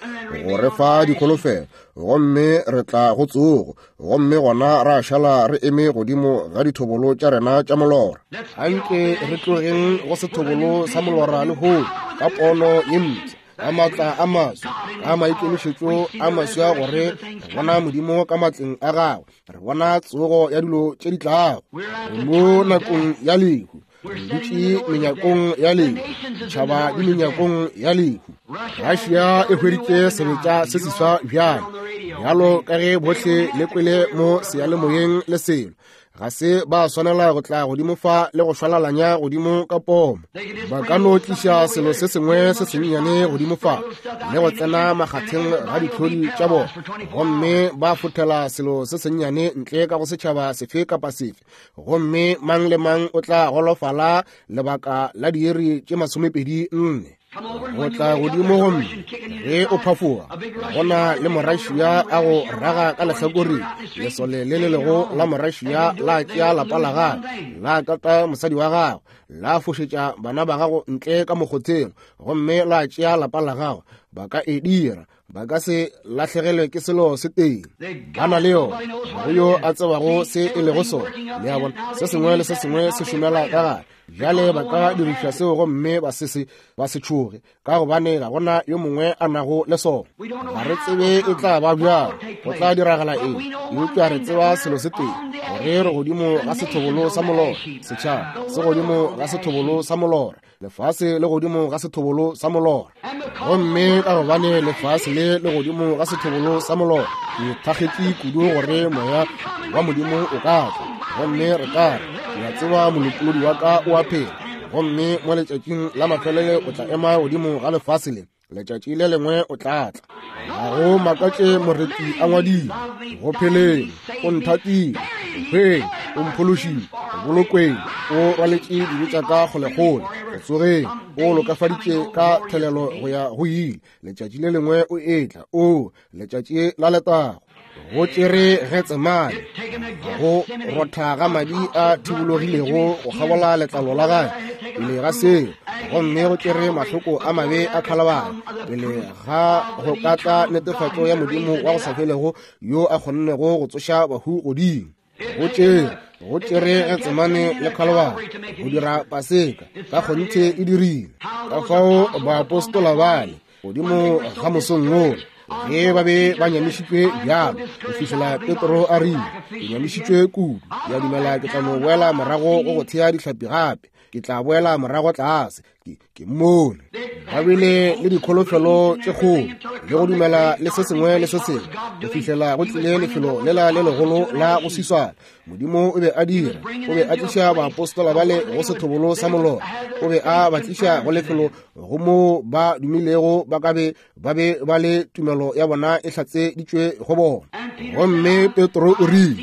go re fa dikholofelo, gomme re tla go tsogo, gomme gona ra šala re eme godimo ga dithobolo tša rena tša molora. Anke re tlogeng go sethobolo sa molora lehono ka pono ye mpsha, ka maatla a maswa, ka maikemišetšo a maswa, gore re bona Modimo ka matleng a gagwe, re bona tsogo ya dilo tše di tlago. Mo nakong ya lehu, re dutše menyakong ya lehu, ditšhaba di menyakong ya lehu. Russia e hweditše sebetša se seswa bjalo, bjalo ka ge bohle le kwele mo seyalemoyeng le selo. Ga se ba swanela go tla godimo fa le go šwalalanya godimo ka pomo. Ba ka no tliša selo se sengwe se sennyane godimo fa le go tsena makgatheng ga ditlhodi tša bona, gomme ba fothela selo se sennyane ntle ka go setšhaba sefe kapa sefe, gomme mang le mang o tla golofala lebaka la diiri tše masomepedi nne. Go tla godimo gomme ge o phafoga, gona le Morašia a go raga ka lehlakoreng, lesole le le lego la Morašia la tšea lapa la gagwe, la kata mosadi wa gagwe, la fošetša bana ba gago ntle ka mokgotheng, gomme la tšea lapa la gagwe. Ba ka e dira, Ba ka se lahlegelwe ke selo se tee. Ba na le yona. Ga go yo a tsebago se e lego sona. Le a bona, se sengwe le se sengwe se šomela ka gare. Bjale ba ka diriša seo gomme ba se se ba se tšhoge, ka gobane ga gona yo mongwe a nago le sona. Ga re tsebe e tla ba bjang, go tla diragala eng, eupša re tseba selo se tee, gore re godimo ga sethobolo sa molora. Setšhaba se godimo ga sethobolo sa molora. Lefase le godimo ga sethobolo sa molora. Gomme ka gobane lefase le le godimo ga sethobolo sa molora, ke thakgetše kudu gore moya wa Modimo o ka tla. Gomme re ka re, ke a tseba molopolodi wa ka o a phela, gomme mo letšatšing la mafelelo o tla ema godimo ga lefase le. Letšatši le lengwe o tla tla. Ga go makatše moreti a ngwadile, go pheleng o nthatile, go hweng o mphološile, go bolokweng o rwaletše dibe tša ka kgolekgole, go tsogeng o lokafaditše ka thelelo go ya go ile. Letšatši le lengwe o etla, o letšatši la letago. Go tšere Getsemane, go rotha ga madi a thibologilego go kgabola letlalo la gagwe pele ga seo, gomme go tšere mahloko a mabe a Khalabari pele ga go ka tla netefatšo ya Modimo wa go sa felego yo a kgonnego go tsoša bahu godimo. Go tšere go tšere Getsemane le Khalabari go dira Paseka, ka kgonthe e dirile. Ka fao baapostola bale godimo ga mosong wola, ge ba be ba nyamišitšwe bjalo, go fihlela Petro a rile, ke nyamišitšwe kudu, ke a dumela ke tla no boela morago go go thea dihlapi gape, ke tla boela morago tlase, ke ke mmone. Ba bile le dikholofelo tše kgolo le go dumela le se sengwe le se sengwe, go fihlela go tlile lefelo lela le legolo la go swiswana. Modimo o be a dira, o be a tliša baapostola bale go sethobolo sa molora, o be a ba tliša go lefelo go moo ba dumilego ba ka be ba be ba le tumelo ya bona e hlatseditšwe go bona. Gomme Petro o rile,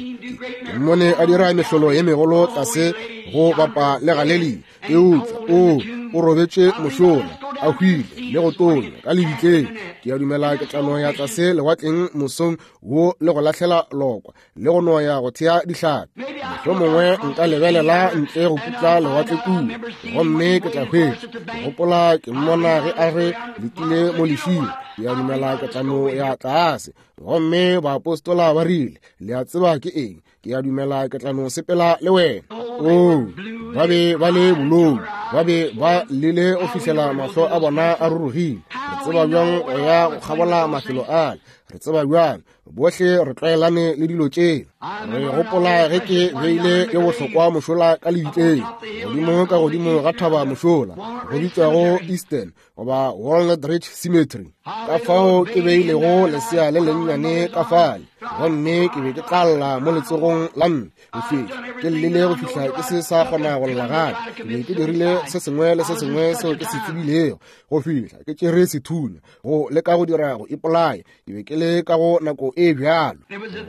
ke mmone a dira mehlolo ye megolo tlase go bapa le Galilea, eupša o o robetše mošola, a hwile le go tonya ka lebitleng. Ke a dumela ke tla no ya tlase lewatleng mosong wo le go lahlela lokwa le go no ya go thea dihlapi. Mohlomongwe nka lebelela ntle go putla lewatle kua, gomme ke tla hwetša. Ke gopola ke mmona ge a re letile mo lešing. Ke a dumela ke tla no ya tlase. Gomme baapostola ba rile, le a tseba ke eng? Ke a dumela ke tla no sepela le wena. Oo, ba be ba le bolou, ba be ba llile go fihlela mahlo a bona a rurugile. Re tseba bjang go ya go kgabola mafelo ale? Re tseba bjang? Bohle re tlwaelane le dilo tše. Re gopola ge ke beile ye bohlokwa mošola ka lebitleng, godimo ka godimo ga thaba mošola, go bitšwago Eastern goba Walnut Ridge Cemetery. Ka fao ke beilego lesea le lennyane ka fale, gomme ke be ke tla lla mo letsogong la mme go fihla ke llile go fihla ke se sa kgona go lla gape. Ke be ke dirile se sengwe le se sengwe seo ke se tsebilego go fihla ke tšere sethunya go leka go dira go ipolaya. Ke be ke le ka go nako e bjalo,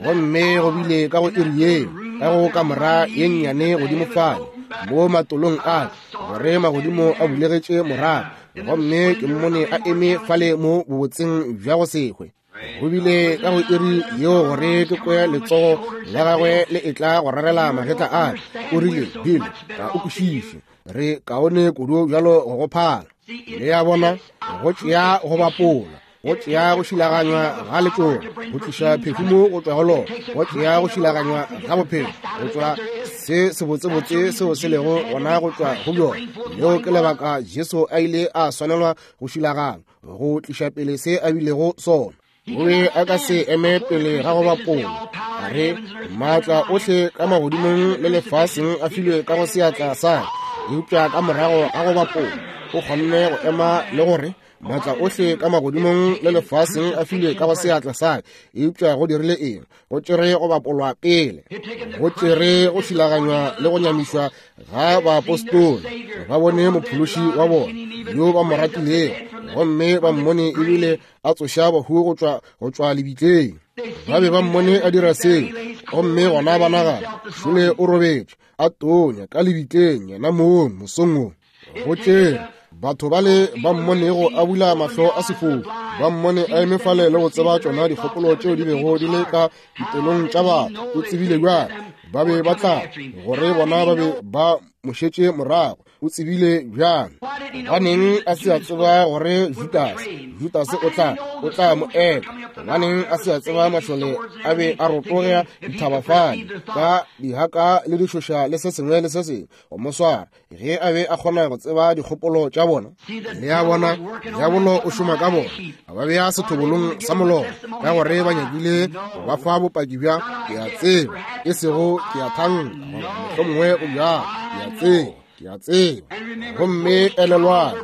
gomme go bile ka go iri yeo, ka go kamora ye nnyane godimo fale mo matolong a gore magodimo a bulegetše morago, gomme ke mmone a eme fale mo bobotseng bja go se hwe. Go bile ka go iri yeo gore ke kwe letsogo la gagwe le etla go rarela magetla a ka. O rile, Bill, ga o kwešiše, re kaone kudu bjalo go go phala. Le a bona, go tšea go bapola, go tšea go šilaganywa ga letšoba, go tliša phefumo go tšwa go lona, go tšea go šilaganywa ga bophelo go tšwa se sebotsebotse seo se lego gona go tšwa go bjona. Leo ke lebaka Jesu a ile a swanelwa go šilaganywa go tliša pele se a bilego sona. O be a ka se eme pele ga go bapola. A re, maatla ohle ka magodimong le lefaseng a filwe ka go seatla sa ka, eupša ka morago ga go bapola o kgonne go ema le gore maatla ohle ka magodimong le lefaseng a filwe ka go seatla sa ka. Eupša go dirile eng? Go tšere go bapolwa pele, go tšere go šilaganywa le go nyamišwa ga baapostola. Ba bone mophološi wa bona yo ba mo ratilego, gomme ba mmone ebile a tsoša bahu go tšwa go tšwa lebitleng. Ba be ba mmone a dira seo, gomme gona ba nagana šole o robetše a tonya ka lebitleng yena mong mosong wo. Go tšere batho bale ba mmonego a bula mahlo a sefofu, ba mmone a eme fale le go tseba tšona dikgopolo tšeo di bego di le ka dipelong tša batho. O tsebile bjang ba be ba tla gore bona ba be ba mošetše morago. O tsebile bjang? Gobaneng a se a tseba gore Judas, Judas o tla, o tla mo eka? Gobaneng a se a tseba mašole a be a rotoga dithaba fale ka dihaka le dišoša le se sengwe le se sengwe go mo swara, ge a be a kgona go tseba dikgopolo tša bona? Le a bona, diabolo o šoma ka bona, a ba bea sethobolong sa molora ka gore ba nyakile go ba fa bopaki bja ke a tseba, e sego ke a thanka, goba mohlomongwe o bjalo, ke a tseba, ke a tseba. Gomme elelwang,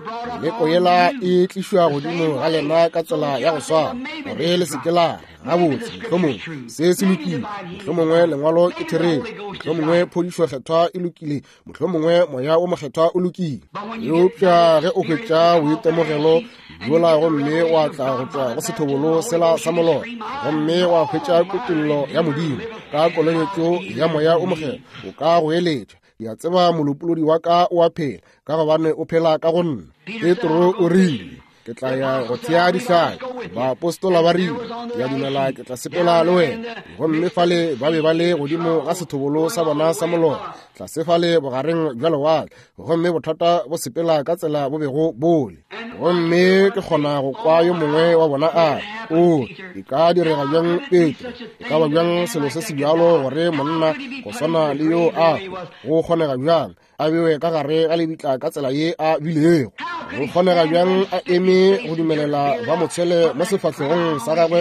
meleko yela e tlišwa godimo ga lena ka tsela ya go swana, gore le se ke la re, gabotse, mohlomongwe se se lokile, mohlomongwe lengwalo ke therešo, mohlomongwe phodišo kgethwa e lokile, mohlomongwe moya o mokgethwa o lokile. Eupša ge o hwetša boitemogelo bjola gomme wa tla go tšwa go sethobolo sela sa molora, gomme wa hwetša kutollo ya Modimo ka kolobetšo ya moya o mokgethwa, o ka go eletša, ke a tseba molopolodi wa ka o a phela, ka gobane o phela ka go nna. Petro o rile, ke tla ya go thea dihlapi. Baapostola ba rile, ke a dumela ke tla sepela le wena. Gomme fale ba be ba le godimo ga sethobolo sa bona sa molora, tlase fale bogareng bja lewatle, gomme bothata bo sepela ka tsela bo bego bole. Gomme ke kgona go kwa yo mongwe wa bona a re, o, e ka direga bjang Petro? E ka ba bjang selo se se bjalo gore monna go swana le yo a go kgonega bjang a bewe ka gare ga lebitla ka tsela ye a bilego? Go kgonega bjang a eme go dumelela ba mo tshwele mo sefahlegong sa gagwe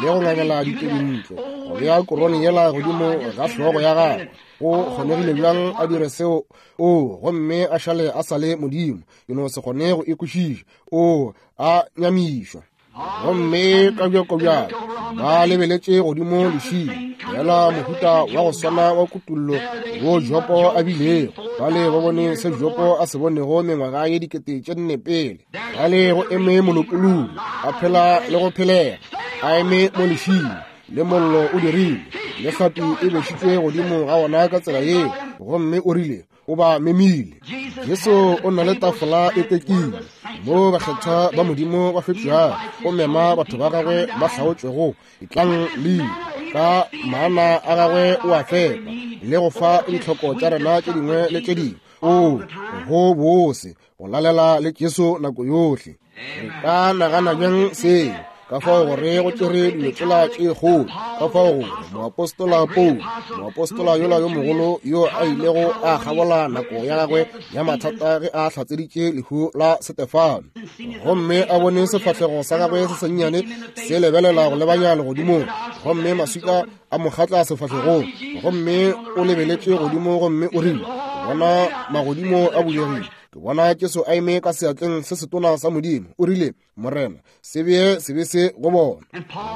le go ngangela ditebintlo, go bea korone yela godimo ga hlogo ya gagwe? Go kgonegile bjang a dire seo? O, gomme a šale a sa le Modimo. Ke no se kgone go e kwešiša. O, a nyamišwa. Gomme ka bjako bjalo ba lebeletše godimo lešing, fela mohuta wa go swana wa kutollo wo Jopo a bilego. Bale ba bone se Jopo a se bonego mengwaga ye dikete tše nne pele. Bale go eme molopolodi, a phela le go phelega, a eme mo lešing, le mollo o dirile, le hlapi e bešitšwe godimo ga ona ka tsela yeo. Gomme o rile, o ba memile. Jesu o na le tafola e tekile mo bakgethwa ba Modimo ba fetšwago. O mema batho ba gagwe ba hlaotšwego, etlang le ka maana a gagwe o a fepa le go fa ditlhoko tša rena tše dingwe le tše dingwe. O go bose go lalela le Jesu nako yohle. Re ka nagana bjang seo? Ka fao gore go tšere dilo tsela tše kgolo, ka fao gore moapostola Paulo, moapostola yola yo mogolo yo a ilego a kgabola nako ya gagwe ya mathata ge a hlatseditše lehu la Setefano, gomme a bone sefahlego sa gagwe se sennyane se lebelela go lebanya legodimong, gomme maswika a mo kgatla sefahlegong, gomme o lebeletše godimo gomme o rile, bona magodimo a bulegile, ke bona Jesu a eme ka seatleng se setona sa Modimo. O rile, Morena, se bee sebe se go bona.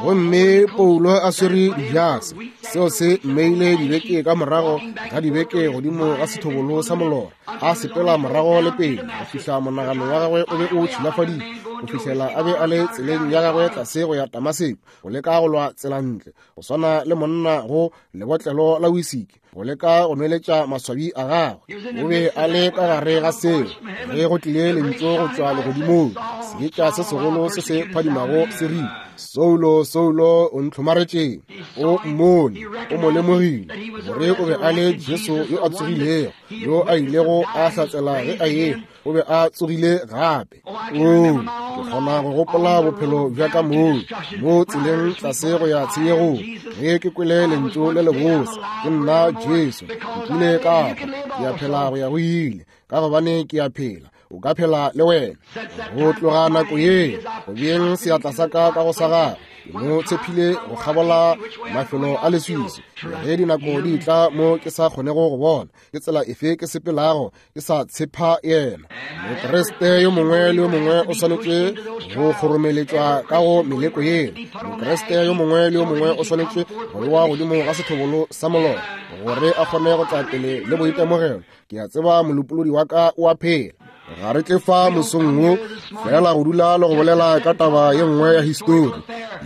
Gomme Paulo a swere dijase, seo se mmeile dibeke ka morago ga dibeke godimo ga sethobolo sa molora, a sepela morago le pele go fihla monagano wa gagwe o be o tšhilafaditše, go fihlela a be a le tseleng ya gagwe tlase go ya Damaseko, go leka go lwa tsela ntle, go swana le monna go lebotlelo la wisiki, go leka go nweletša maswabi a gagwe. O be a le ka gare ga seo ge go tlile lentšu go tšwa legodimong, seetša se segolo se se phadimago se rile, Saulo, Saulo, o ntlhomaretšeng? O mmone, o mo lemogile gore o be a le Jesu yo a tsogilego, yo a ilego a hlatsela ge a ehwa, o be a tsogile gape. O, ke kgona go gopola bophelo bja ka moo, mo tseleng tlase go ya tshenyegong, ge ke kwele lentšu le lebose, ke nna Jesu, nkile ka hwa, ke a phela go ya go ile, ka gobane ke a phela, o ka phela le wena. Go tloga nako ye, go beeng seatla sa ka ka go sa gagwe, ke mo tshepile go kgabola mafelo a leswiswi. Ge dinako di tla mo ke sa kgonego go bona ke tsela efe ke sepelago, ke sa tshepa yena. Mokriste yo mongwe le yo mongwe o swanetše go kgoromeletšwa ka go meleko yela. Mokriste yo mongwe le yo mongwe o swanetše go bewa godimo ga sethobolo sa molora gore a kgone go tla pele le boitemogelo. Ke a tseba molopolodi wa ka o a phela. Ga re tle fa mosong wo fela go dula le go bolela ka taba ye nngwe ya histori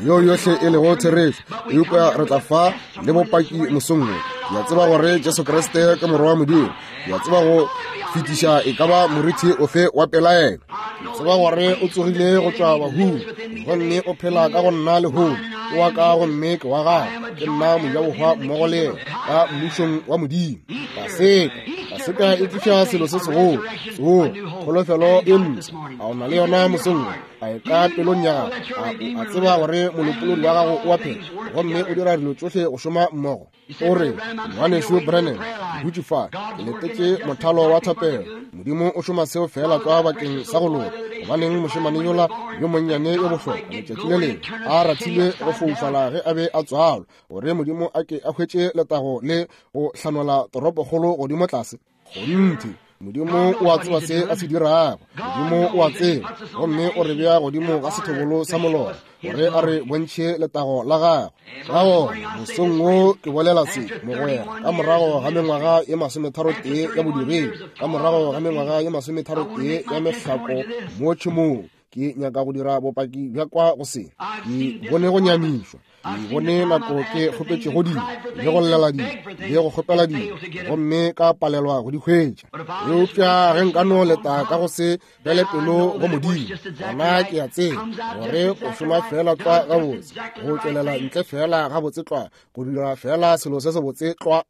yeo yohle e lego therešo, eupša re tla fa le bopaki mosong wo. Ke a tseba gore Jesu Kriste ke Morwa wa Modimo. Ke a tseba go fetiša e ka ba morithi ofe wa pelaelo. Ke tseba gore o tsogile go tšwa bahung, gomme o phela ka go nna lehono. Ke wa ka gomme ke wa gagwe, ke nna mojabohwa mmogo le yena ka mmušong wa Modimo. Paseka, Paseka e tliša selo se segolo, tsogo, kholofelo e mpsha. A o na le yona mosong wo? A e ka pelong ya gago? A o a tseba gore molopolodi wa gago o a phela, gomme o dira dilo tšohle go šoma mmogo? O re, Ngwanešu Branham, ke dutše fa, ke letetše mothalo wa thapelo. Modimo o šoma seo feela tlwa bakeng sa go loka. Gobaneng mošemane yola yo monnyane yo bohlokwa letšatši le lengwe a rathilwe go foufala ge a be a tswalwa, gore Modimo a ke a hwetše letago le go hlanola toropokgolo godimo tlase? Kgonthe, Modimo o a tseba se a se dirago. Modimo o a tseba, gomme o re bea godimo ga sethobolo sa molora gore a re bontšhe letago la gagwe. Ka gona mosong wo ke bolela se, mogwera, ka morago ga mengwaga ye masometharo tee ya bodiredi, ka morago ga mengwaga ye masometharo tee ya mehlako mo tšhemong, ke nyaka go dira bopaki bja kwa go se. Ke bone go nyamišwa, ke bone nako ke kgopetšego dilo, le go llela dilo, le go kgopela dilo, gomme ka palelwa go di hwetša. Eupša ge nka no leta ka go se fele pelo go Modimo, gona ke a tseba gore go šoma feela tlwa gabotse, go tšwelela ntle feela gabotse tlwa, go dira feela selo se sebotse tlwa.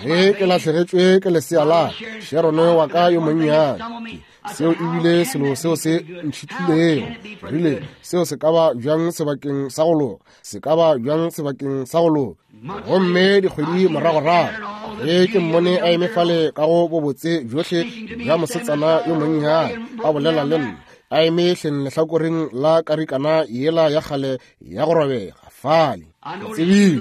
Ge ke lahlegetšwe ke lesea la Sharon wa ka yo monnyane, seo ebile selo seo se ntšhitlilego. Rile, seo se ka ba bjang sebakeng sa go loka? Se ka ba bjang sebakeng sa go loka? Gomme dikgwedi moragorago, ge ke mmone a eme fale ka go bobotse bjohle bja mosetsana yo monnyane, a bolela le nna, a eme hleng lehlakoreng la karikana yela ya kgale ya go robega fale. Ke tsebile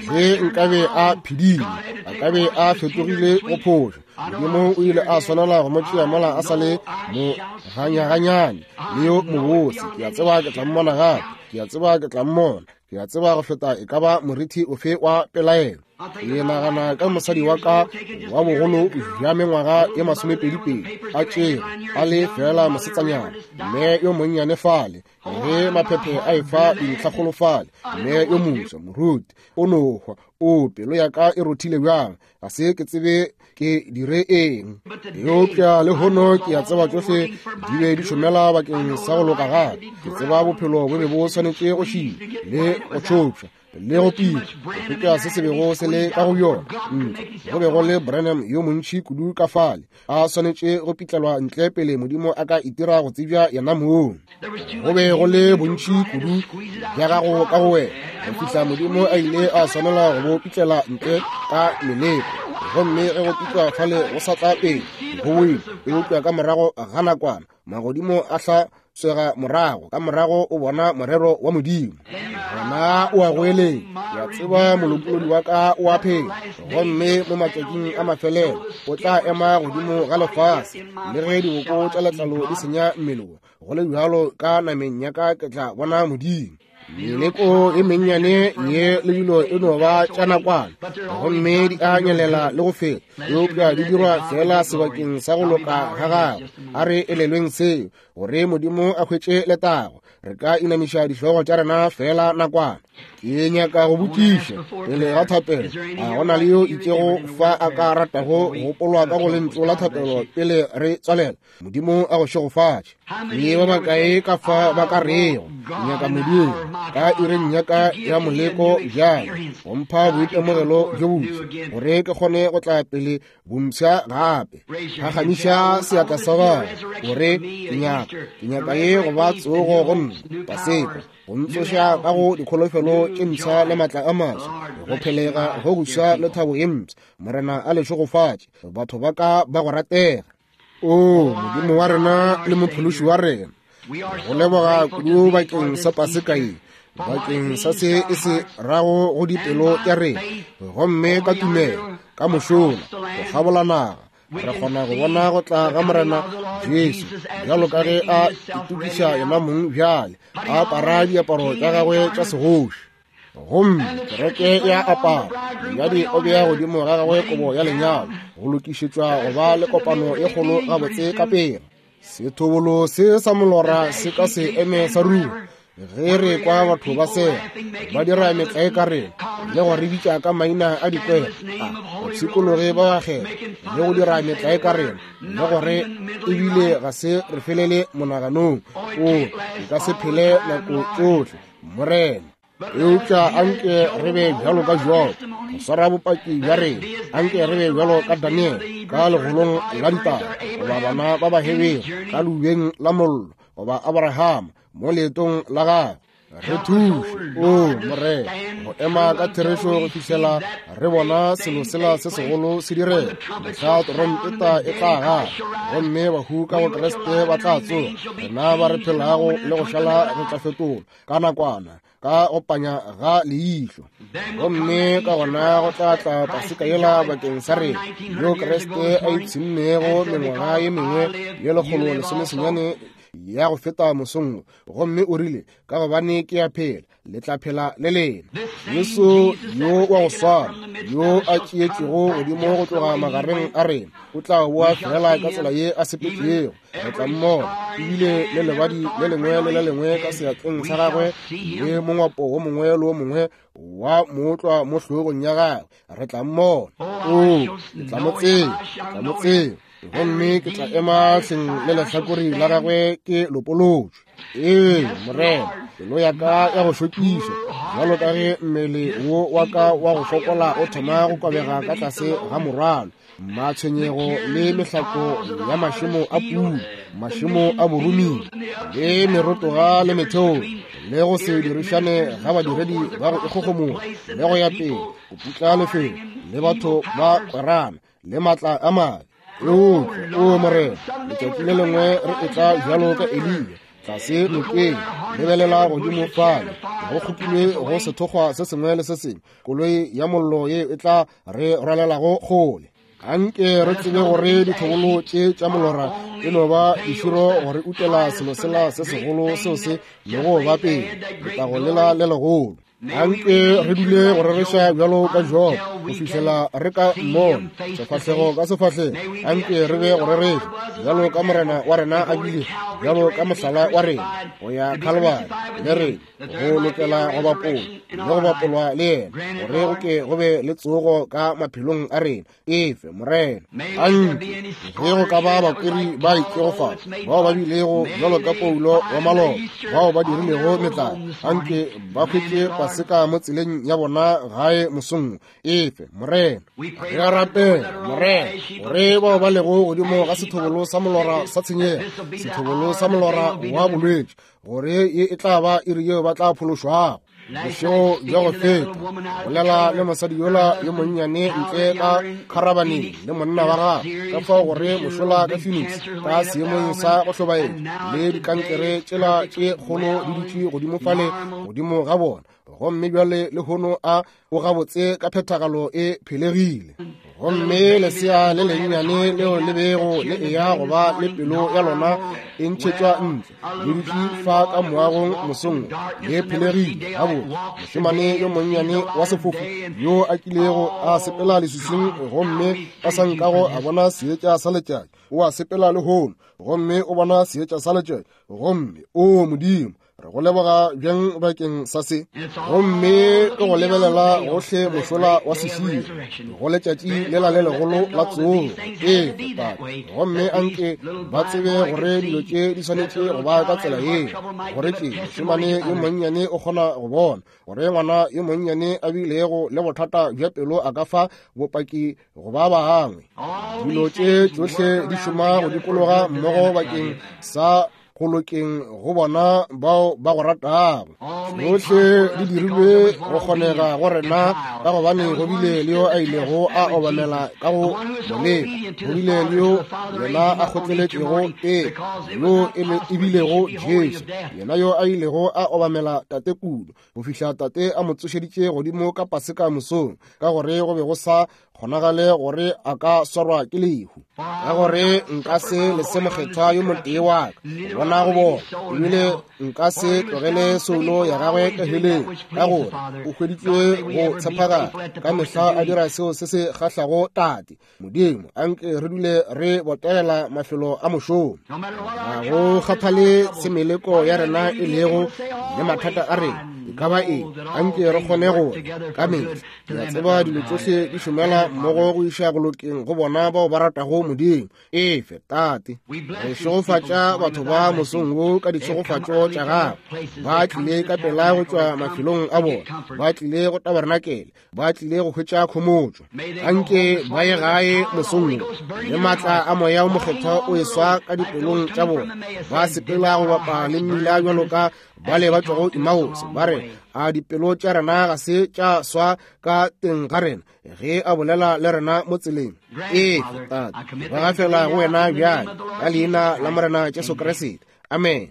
ge nkabe a phedile, a ka be a fetogile go phošo. Modimo o ile a swanela go mo tšea mola a sa le mo ganyaganyane le yo mobose. Ke a tseba ke tla mmona gape, ke a tseba ke tla mmona, ke a tseba go feta e ka ba morithi ofe wa pelaelo. Ke nagana ka mosadi wa ka wa bogolo bja mengwaga ye masomepedipedi a tšere a le feela mosetsanyana, mme yo monnyane fale, ge maphephe a efa dintlhakgolo fale, mme yo moswa moruti o no hwa. O pelo ya ka e rothile bjang, ga se ke tsebe ke dire eng. Eupša lehono ke a tseba tšohle di be di šomela bakeng sa go loka gape. Ke tseba bophelo bo be bo swanetše go šila le go tšhopša le go pila, go feta se se bego se le ka go yona ntle. Go be go le Branham yo montši kudu ka fale, a swanetše go pitlelwa ntle pele Modimo a ka itira go tsebja yena mong. Go be go le bontši kudu bja gago ka go wena, go fihla Modimo a ile a swanela go bo pitlela ntle ka meleko. Gomme ge go pitlwa fale go sa tla pele, go boile, eupša ka morago ga nakwana magodimo a hla tswega morago, ka morago o bona morero wa Modimo. Gona o a goeletša, ke a tseba molopolodi wa ka o a phela, gomme mo matšatšing a mafelelo o tla ema godimo ga lefase. Le ge diboko tša letlalo di senya mmele wo, go le bjalo ka nameng ya ka ke tla bona Modimo. Meleko e mennyane ye le dilo e no ba tša nakwana, gomme di a nyelela le go feta, eupša di dirwa feela sebakeng sa go loka ga gagwe. A re elelweng seo, gore Modimo a hwetše letago. Re ka inamiša dihlogo tša rena feela nakwana. Ke nyaka go botšiša pele ga thapelo, a go na le yo itšego fa a ka ratago go gopolwa ka go lentšu la thapelo pele re tswalela? Modimo a go šegofatše. Ke ba bakae ka fa ba ka rego, ke nyaka Modimo ka iring ya ka ya moleko bjale, go mpha boitemogelo bjo boswa, gore ke kgone go tla pele bompsha gape. Phagamiša seatla sa gago gore ke nyaka, ke nyaka ye go ba tsogo go nna, Paseka, go ntsoša ka go dikholofelo tše mpsha le matla a maswa, go phelega go goswa le thabo ye mpsha. Morena a le šegofatše, batho ba ka ba go ratega. O Modimo wa rena le mophološi wa rena, go leboga kudu bakeng sa Paseka ye, bakeng sa se e se rago go dipelo tša rena. Gomme ka tumelo, ka mošola, go kgabola naga, re kgona go bona go tla ga Morena Jesu, bjalo ka ge a itokiša yena mong bjale, a apara diaparo tša gagwe tša segoši. Gomme kereke ya apara, monyadi o bea godimo ga gagwe kobo ya lenyalo, go lokišetšwa go ba le kopano e kgolo gabotse ka pela. Sethobolo se sa molora se ka se eme sa ruri. Ge re kwa batho ba sega, ba dira metlae ka rena, le go re bitša ka maina a dikwela, a bapshikologi ba bakgethwa, le go dira metlae ka rena, le gore ebile ga se re felele monaganong. O e ka se phele nako tšohle, Morena. Eupša anke re be bjalo ka Job, go swara bopaki bja rena. Anke re be bjalo ka Daniel ka legolong la ditaba, goba bana ba Bahebere ka leubeng la mollo, goba Abraham mo leetong la gagwe. Re thuše, o Morena, go ema ka therešo go fihlela re bona selo sela se segolo se direga. Mohla trompeta e tla gala, gomme bahu ka go Kriste ba tla tsoga, rena ba re phelago le go šala re tla fetolwa ka nakwana, ka go panya ga leihlo. Gomme ka gona go tla tla Paseka yela bakeng sa rena, yo Kriste a ipshinnego mengwaga ye mengwe ye lekgolo lesomesenyane ya go feta mosong, gomme o rile, ka gobane ke a phela, le tla phela le lena. Jesu yo wa go swana, yo a tšeetšwego godimo go tloga magareng a rena, o tla boa fela ka tsela ye a sepetšego. Re tla mmona ebile le lebadi le lengwe le le lengwe ka seatleng sa gagwe, le mongwapo wo mongwe le wo mongwe wa mootlwa mo hlogong ya gagwe. Re tla mmona. O, ke tla mo tseba, ke tla mo tseba, gomme ke tla ema hleng le lehlakore la gagwe ke lopolotšwe. Ee, Morena, pelo ya ka ya go šokiša, bjalo ka ge mmele wo wa ka wa go fokola o thoma go kobega ka tlase ga morwalo, matshwenyego le mehlako ya mašemo a pula, mašemo a boruming, le merotoga le metheo, le go se dirišane ga badiredi ba go ikgogomoša, le go ya pele go putla lefelo, le batho ba kwerana, le matla a mabe. Eupša, o Morena, letšatši le lengwe re etla bjalo ka Eliya tlase nokeng, lebelela godimo fale, go kgopilwe go sethokgwa se sengwe le se sengwe, koloi ya mollo ye e tla re rwalelago kgole. Anke re tsebe gore dithobolo tše tša molora e no ba diširo gore utela selo sela se segolo seo se lego ba pele, letago lela le legolo. Anke re dule go rereša bjalo ka Job go fihlela re ka mmona sefahlego ka sefahlego. Anke re be go rereša bjalo ka Morena wa rena a bile, bjalo ka mohlala wa rena go ya Calvary le rena, go lokela go bapolwa le go bapolwa le yena, gore go ke go be le tsogo ka maphelong a rena. Efe, Morena. Anke ge go ka ba bakweri ba itšego fa, bao ba bilego bjalo ka Paulo wa maloba, bao ba dirilego metlae, anke ba hwetše Paseka mo tseleng ya bona gae mosong. Efe, Morena. Re a rapela, Morena, gore bao ba lego godimo ga sethobolo sa molora sa tshenyego, sethobolo sa molora wa bolwetši, gore ye e tla ba iri yeo ba tla phološwago. Bošego bja go feta, bolela le mosadi yola yo monnyane ntle ka kharabaneng le monna wa gagwe, ka fao gore mošola ka Phoenix ka seemong sa go hlobaetša, le dikankere tšela tše kgolo di dutše godimo fale godimo ga bona, gomme bjale lehono a o gabotse ka phethagalo e phelegile. Gomme lesea le lennyane leo le bego le eya go ba le pelo ya lona e ntšhetšwa ntle, le dutše fa ka moagong mosong, le phelegile gabotse. Mošemane yo monnyane wa sefofu yo a kilego a sepela leswiswing gomme a sa nkago a bona seetša sa letšatši, o a sepela lehono gomme o bona seetša sa letšatši. Gomme o Modimo, re go leboga bjang bakeng sa se. Gomme ke go lebelela gohle mošola wa seširo go letšatši lela le legolo la tsogo. Ee, Tate, gomme anke ba tsebe gore dilo tše di swanetše go ba ka tsela yeo, gore tše mošemane yo monnyane o kgona go bona, gore ngwana yo monnyane a bilego le bothata bja pelo a ka fa bopaki go ba bangwe. Dilo tše tšohle di šoma go dikologa mmogo bakeng sa go lokeng go bona bao ba go ratago. Tšohle di dirilwe go kgonega go rena ka gobane go bile le yo a ilego a obamela ka go moleko, go bile le yo yena a kgotleletšego teko, yo e bilego Jesu, yena yo a ilego a obamela Tate kudu go fihla Tate a mo tsošeditše godimo ka Paseka mosong, ka gore go be go sa kgonagale gore a ka swarwa ke lehu. Ka gore nka se lese mokgethwa yo motee wa ka go bona go bona, ebile nka se tlogele soulo ya gagwe ka heleng, ka gore o hweditšwe go tshepagala ka mehla a dira seo se se kgahlago Tate. Modimo, anke re dule re botegela mafelo a mošomo. Ga go kgathale se meleko ya rena e lego le mathata a rena, e ka ba eng, anke re kgone go ka mehla. Ke a tseba dilo tšohle di šomela mmogo go iša go lokeng go bona bao ba ratago Modimo. Efe, Tate, re šegofatša batho ba mosong wo ka ditšhegofatšo tša gago. Ba tlile ka pela go tšwa mafelong a bona, ba tlile go tabarenakele, ba tlile go hwetša khomotšo. Anke ba ye gae mosong wo le maatla a Moya o Mokgethwa o eswa ka dipelong tša bona. Ba sepela go bapa le mmila bjalo ka bale ba tšwago Emmaus, ba re, a dipelo tša rena ga se tša swa ka teng ga rena ge a bolela le rena mo tseleng? Efe, Tate, ba gafela go wena bjale ka leina la Morena Jesu Kriste. Amen.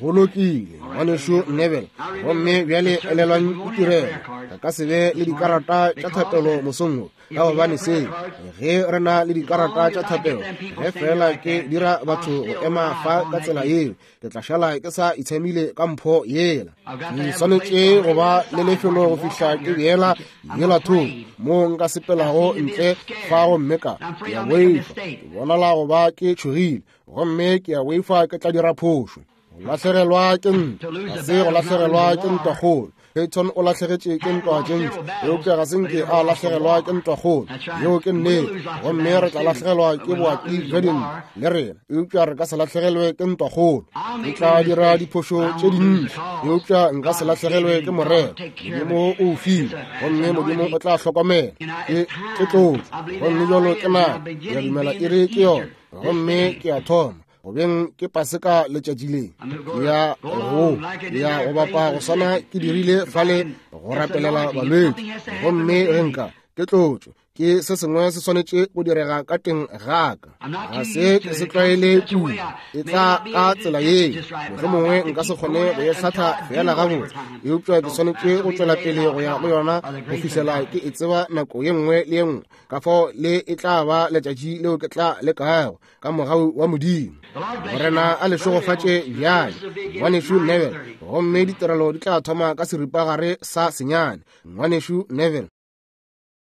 Go lokile, ngwanešu Neville. Gomme bjale elelwang ditirelo. Re ka se be le dikarata tša thapelo mosong wo, ka gobane seo, ge re na le dikarata tša thapelo, ge fela ke dira batho go ema fa ka tsela yeo, ke tla šala ke sa itshamile ka mpho yela. Ke swanetše go ba le lefelo go fihla ke beela yela thoko moo nka sepelago ntle fa, gomme ka ke a boifa, ke bonala go ba ke tšhogile, gomme ke a boifa ke tla dira phošo. Go lahlegelwa ke ntwa ga se go lahlegelwa ke ntwakgolo. Peyton o lahlegetše ke ntwa tše ntši, eupša ga se nke a lahlegelwa ke ntwakgolo. Yeo ke nnete. Gomme re tla lahlegelwa ke boati bja dintwa le rena, eupša re ka se lahlegelwe ke ntwakgolo. Ke tla dira diphošo tše dintši, eupša nka se lahlegelwe ke morero. Modimo o o file, gomme Modimo o tla hlokomela. Ke ke tlotšo, gomme bjalo ke nako. Ke a dumela iri ke yona, gomme ke a thoma. Gobeng ke Paseka letšatši le. Ke ya go ke ya go bapa go swana ke dirile fale go rapelela balwetši. Gomme ge nka ke tlotšo, ke se sengwe se swanetše go direga ka teng ga ka. Ga se ke se tlwaele kudu, e tla ka tsela yeo. Mohlomongwe nka se kgone go e hlatha fela gabotse, eupša ke swanetše go tšwela pele go ya go yona go fihlela ke e tseba nako ye nngwe le ye nngwe. Ka fao le e tla ba letšatši leo ke tla lekago ka mogau wa Modimo. Morena a le šegofatše bjale, ngwanešu Neville. Gomme ditirelo di tla thoma ka seripagare sa senyane, ngwanešu Neville.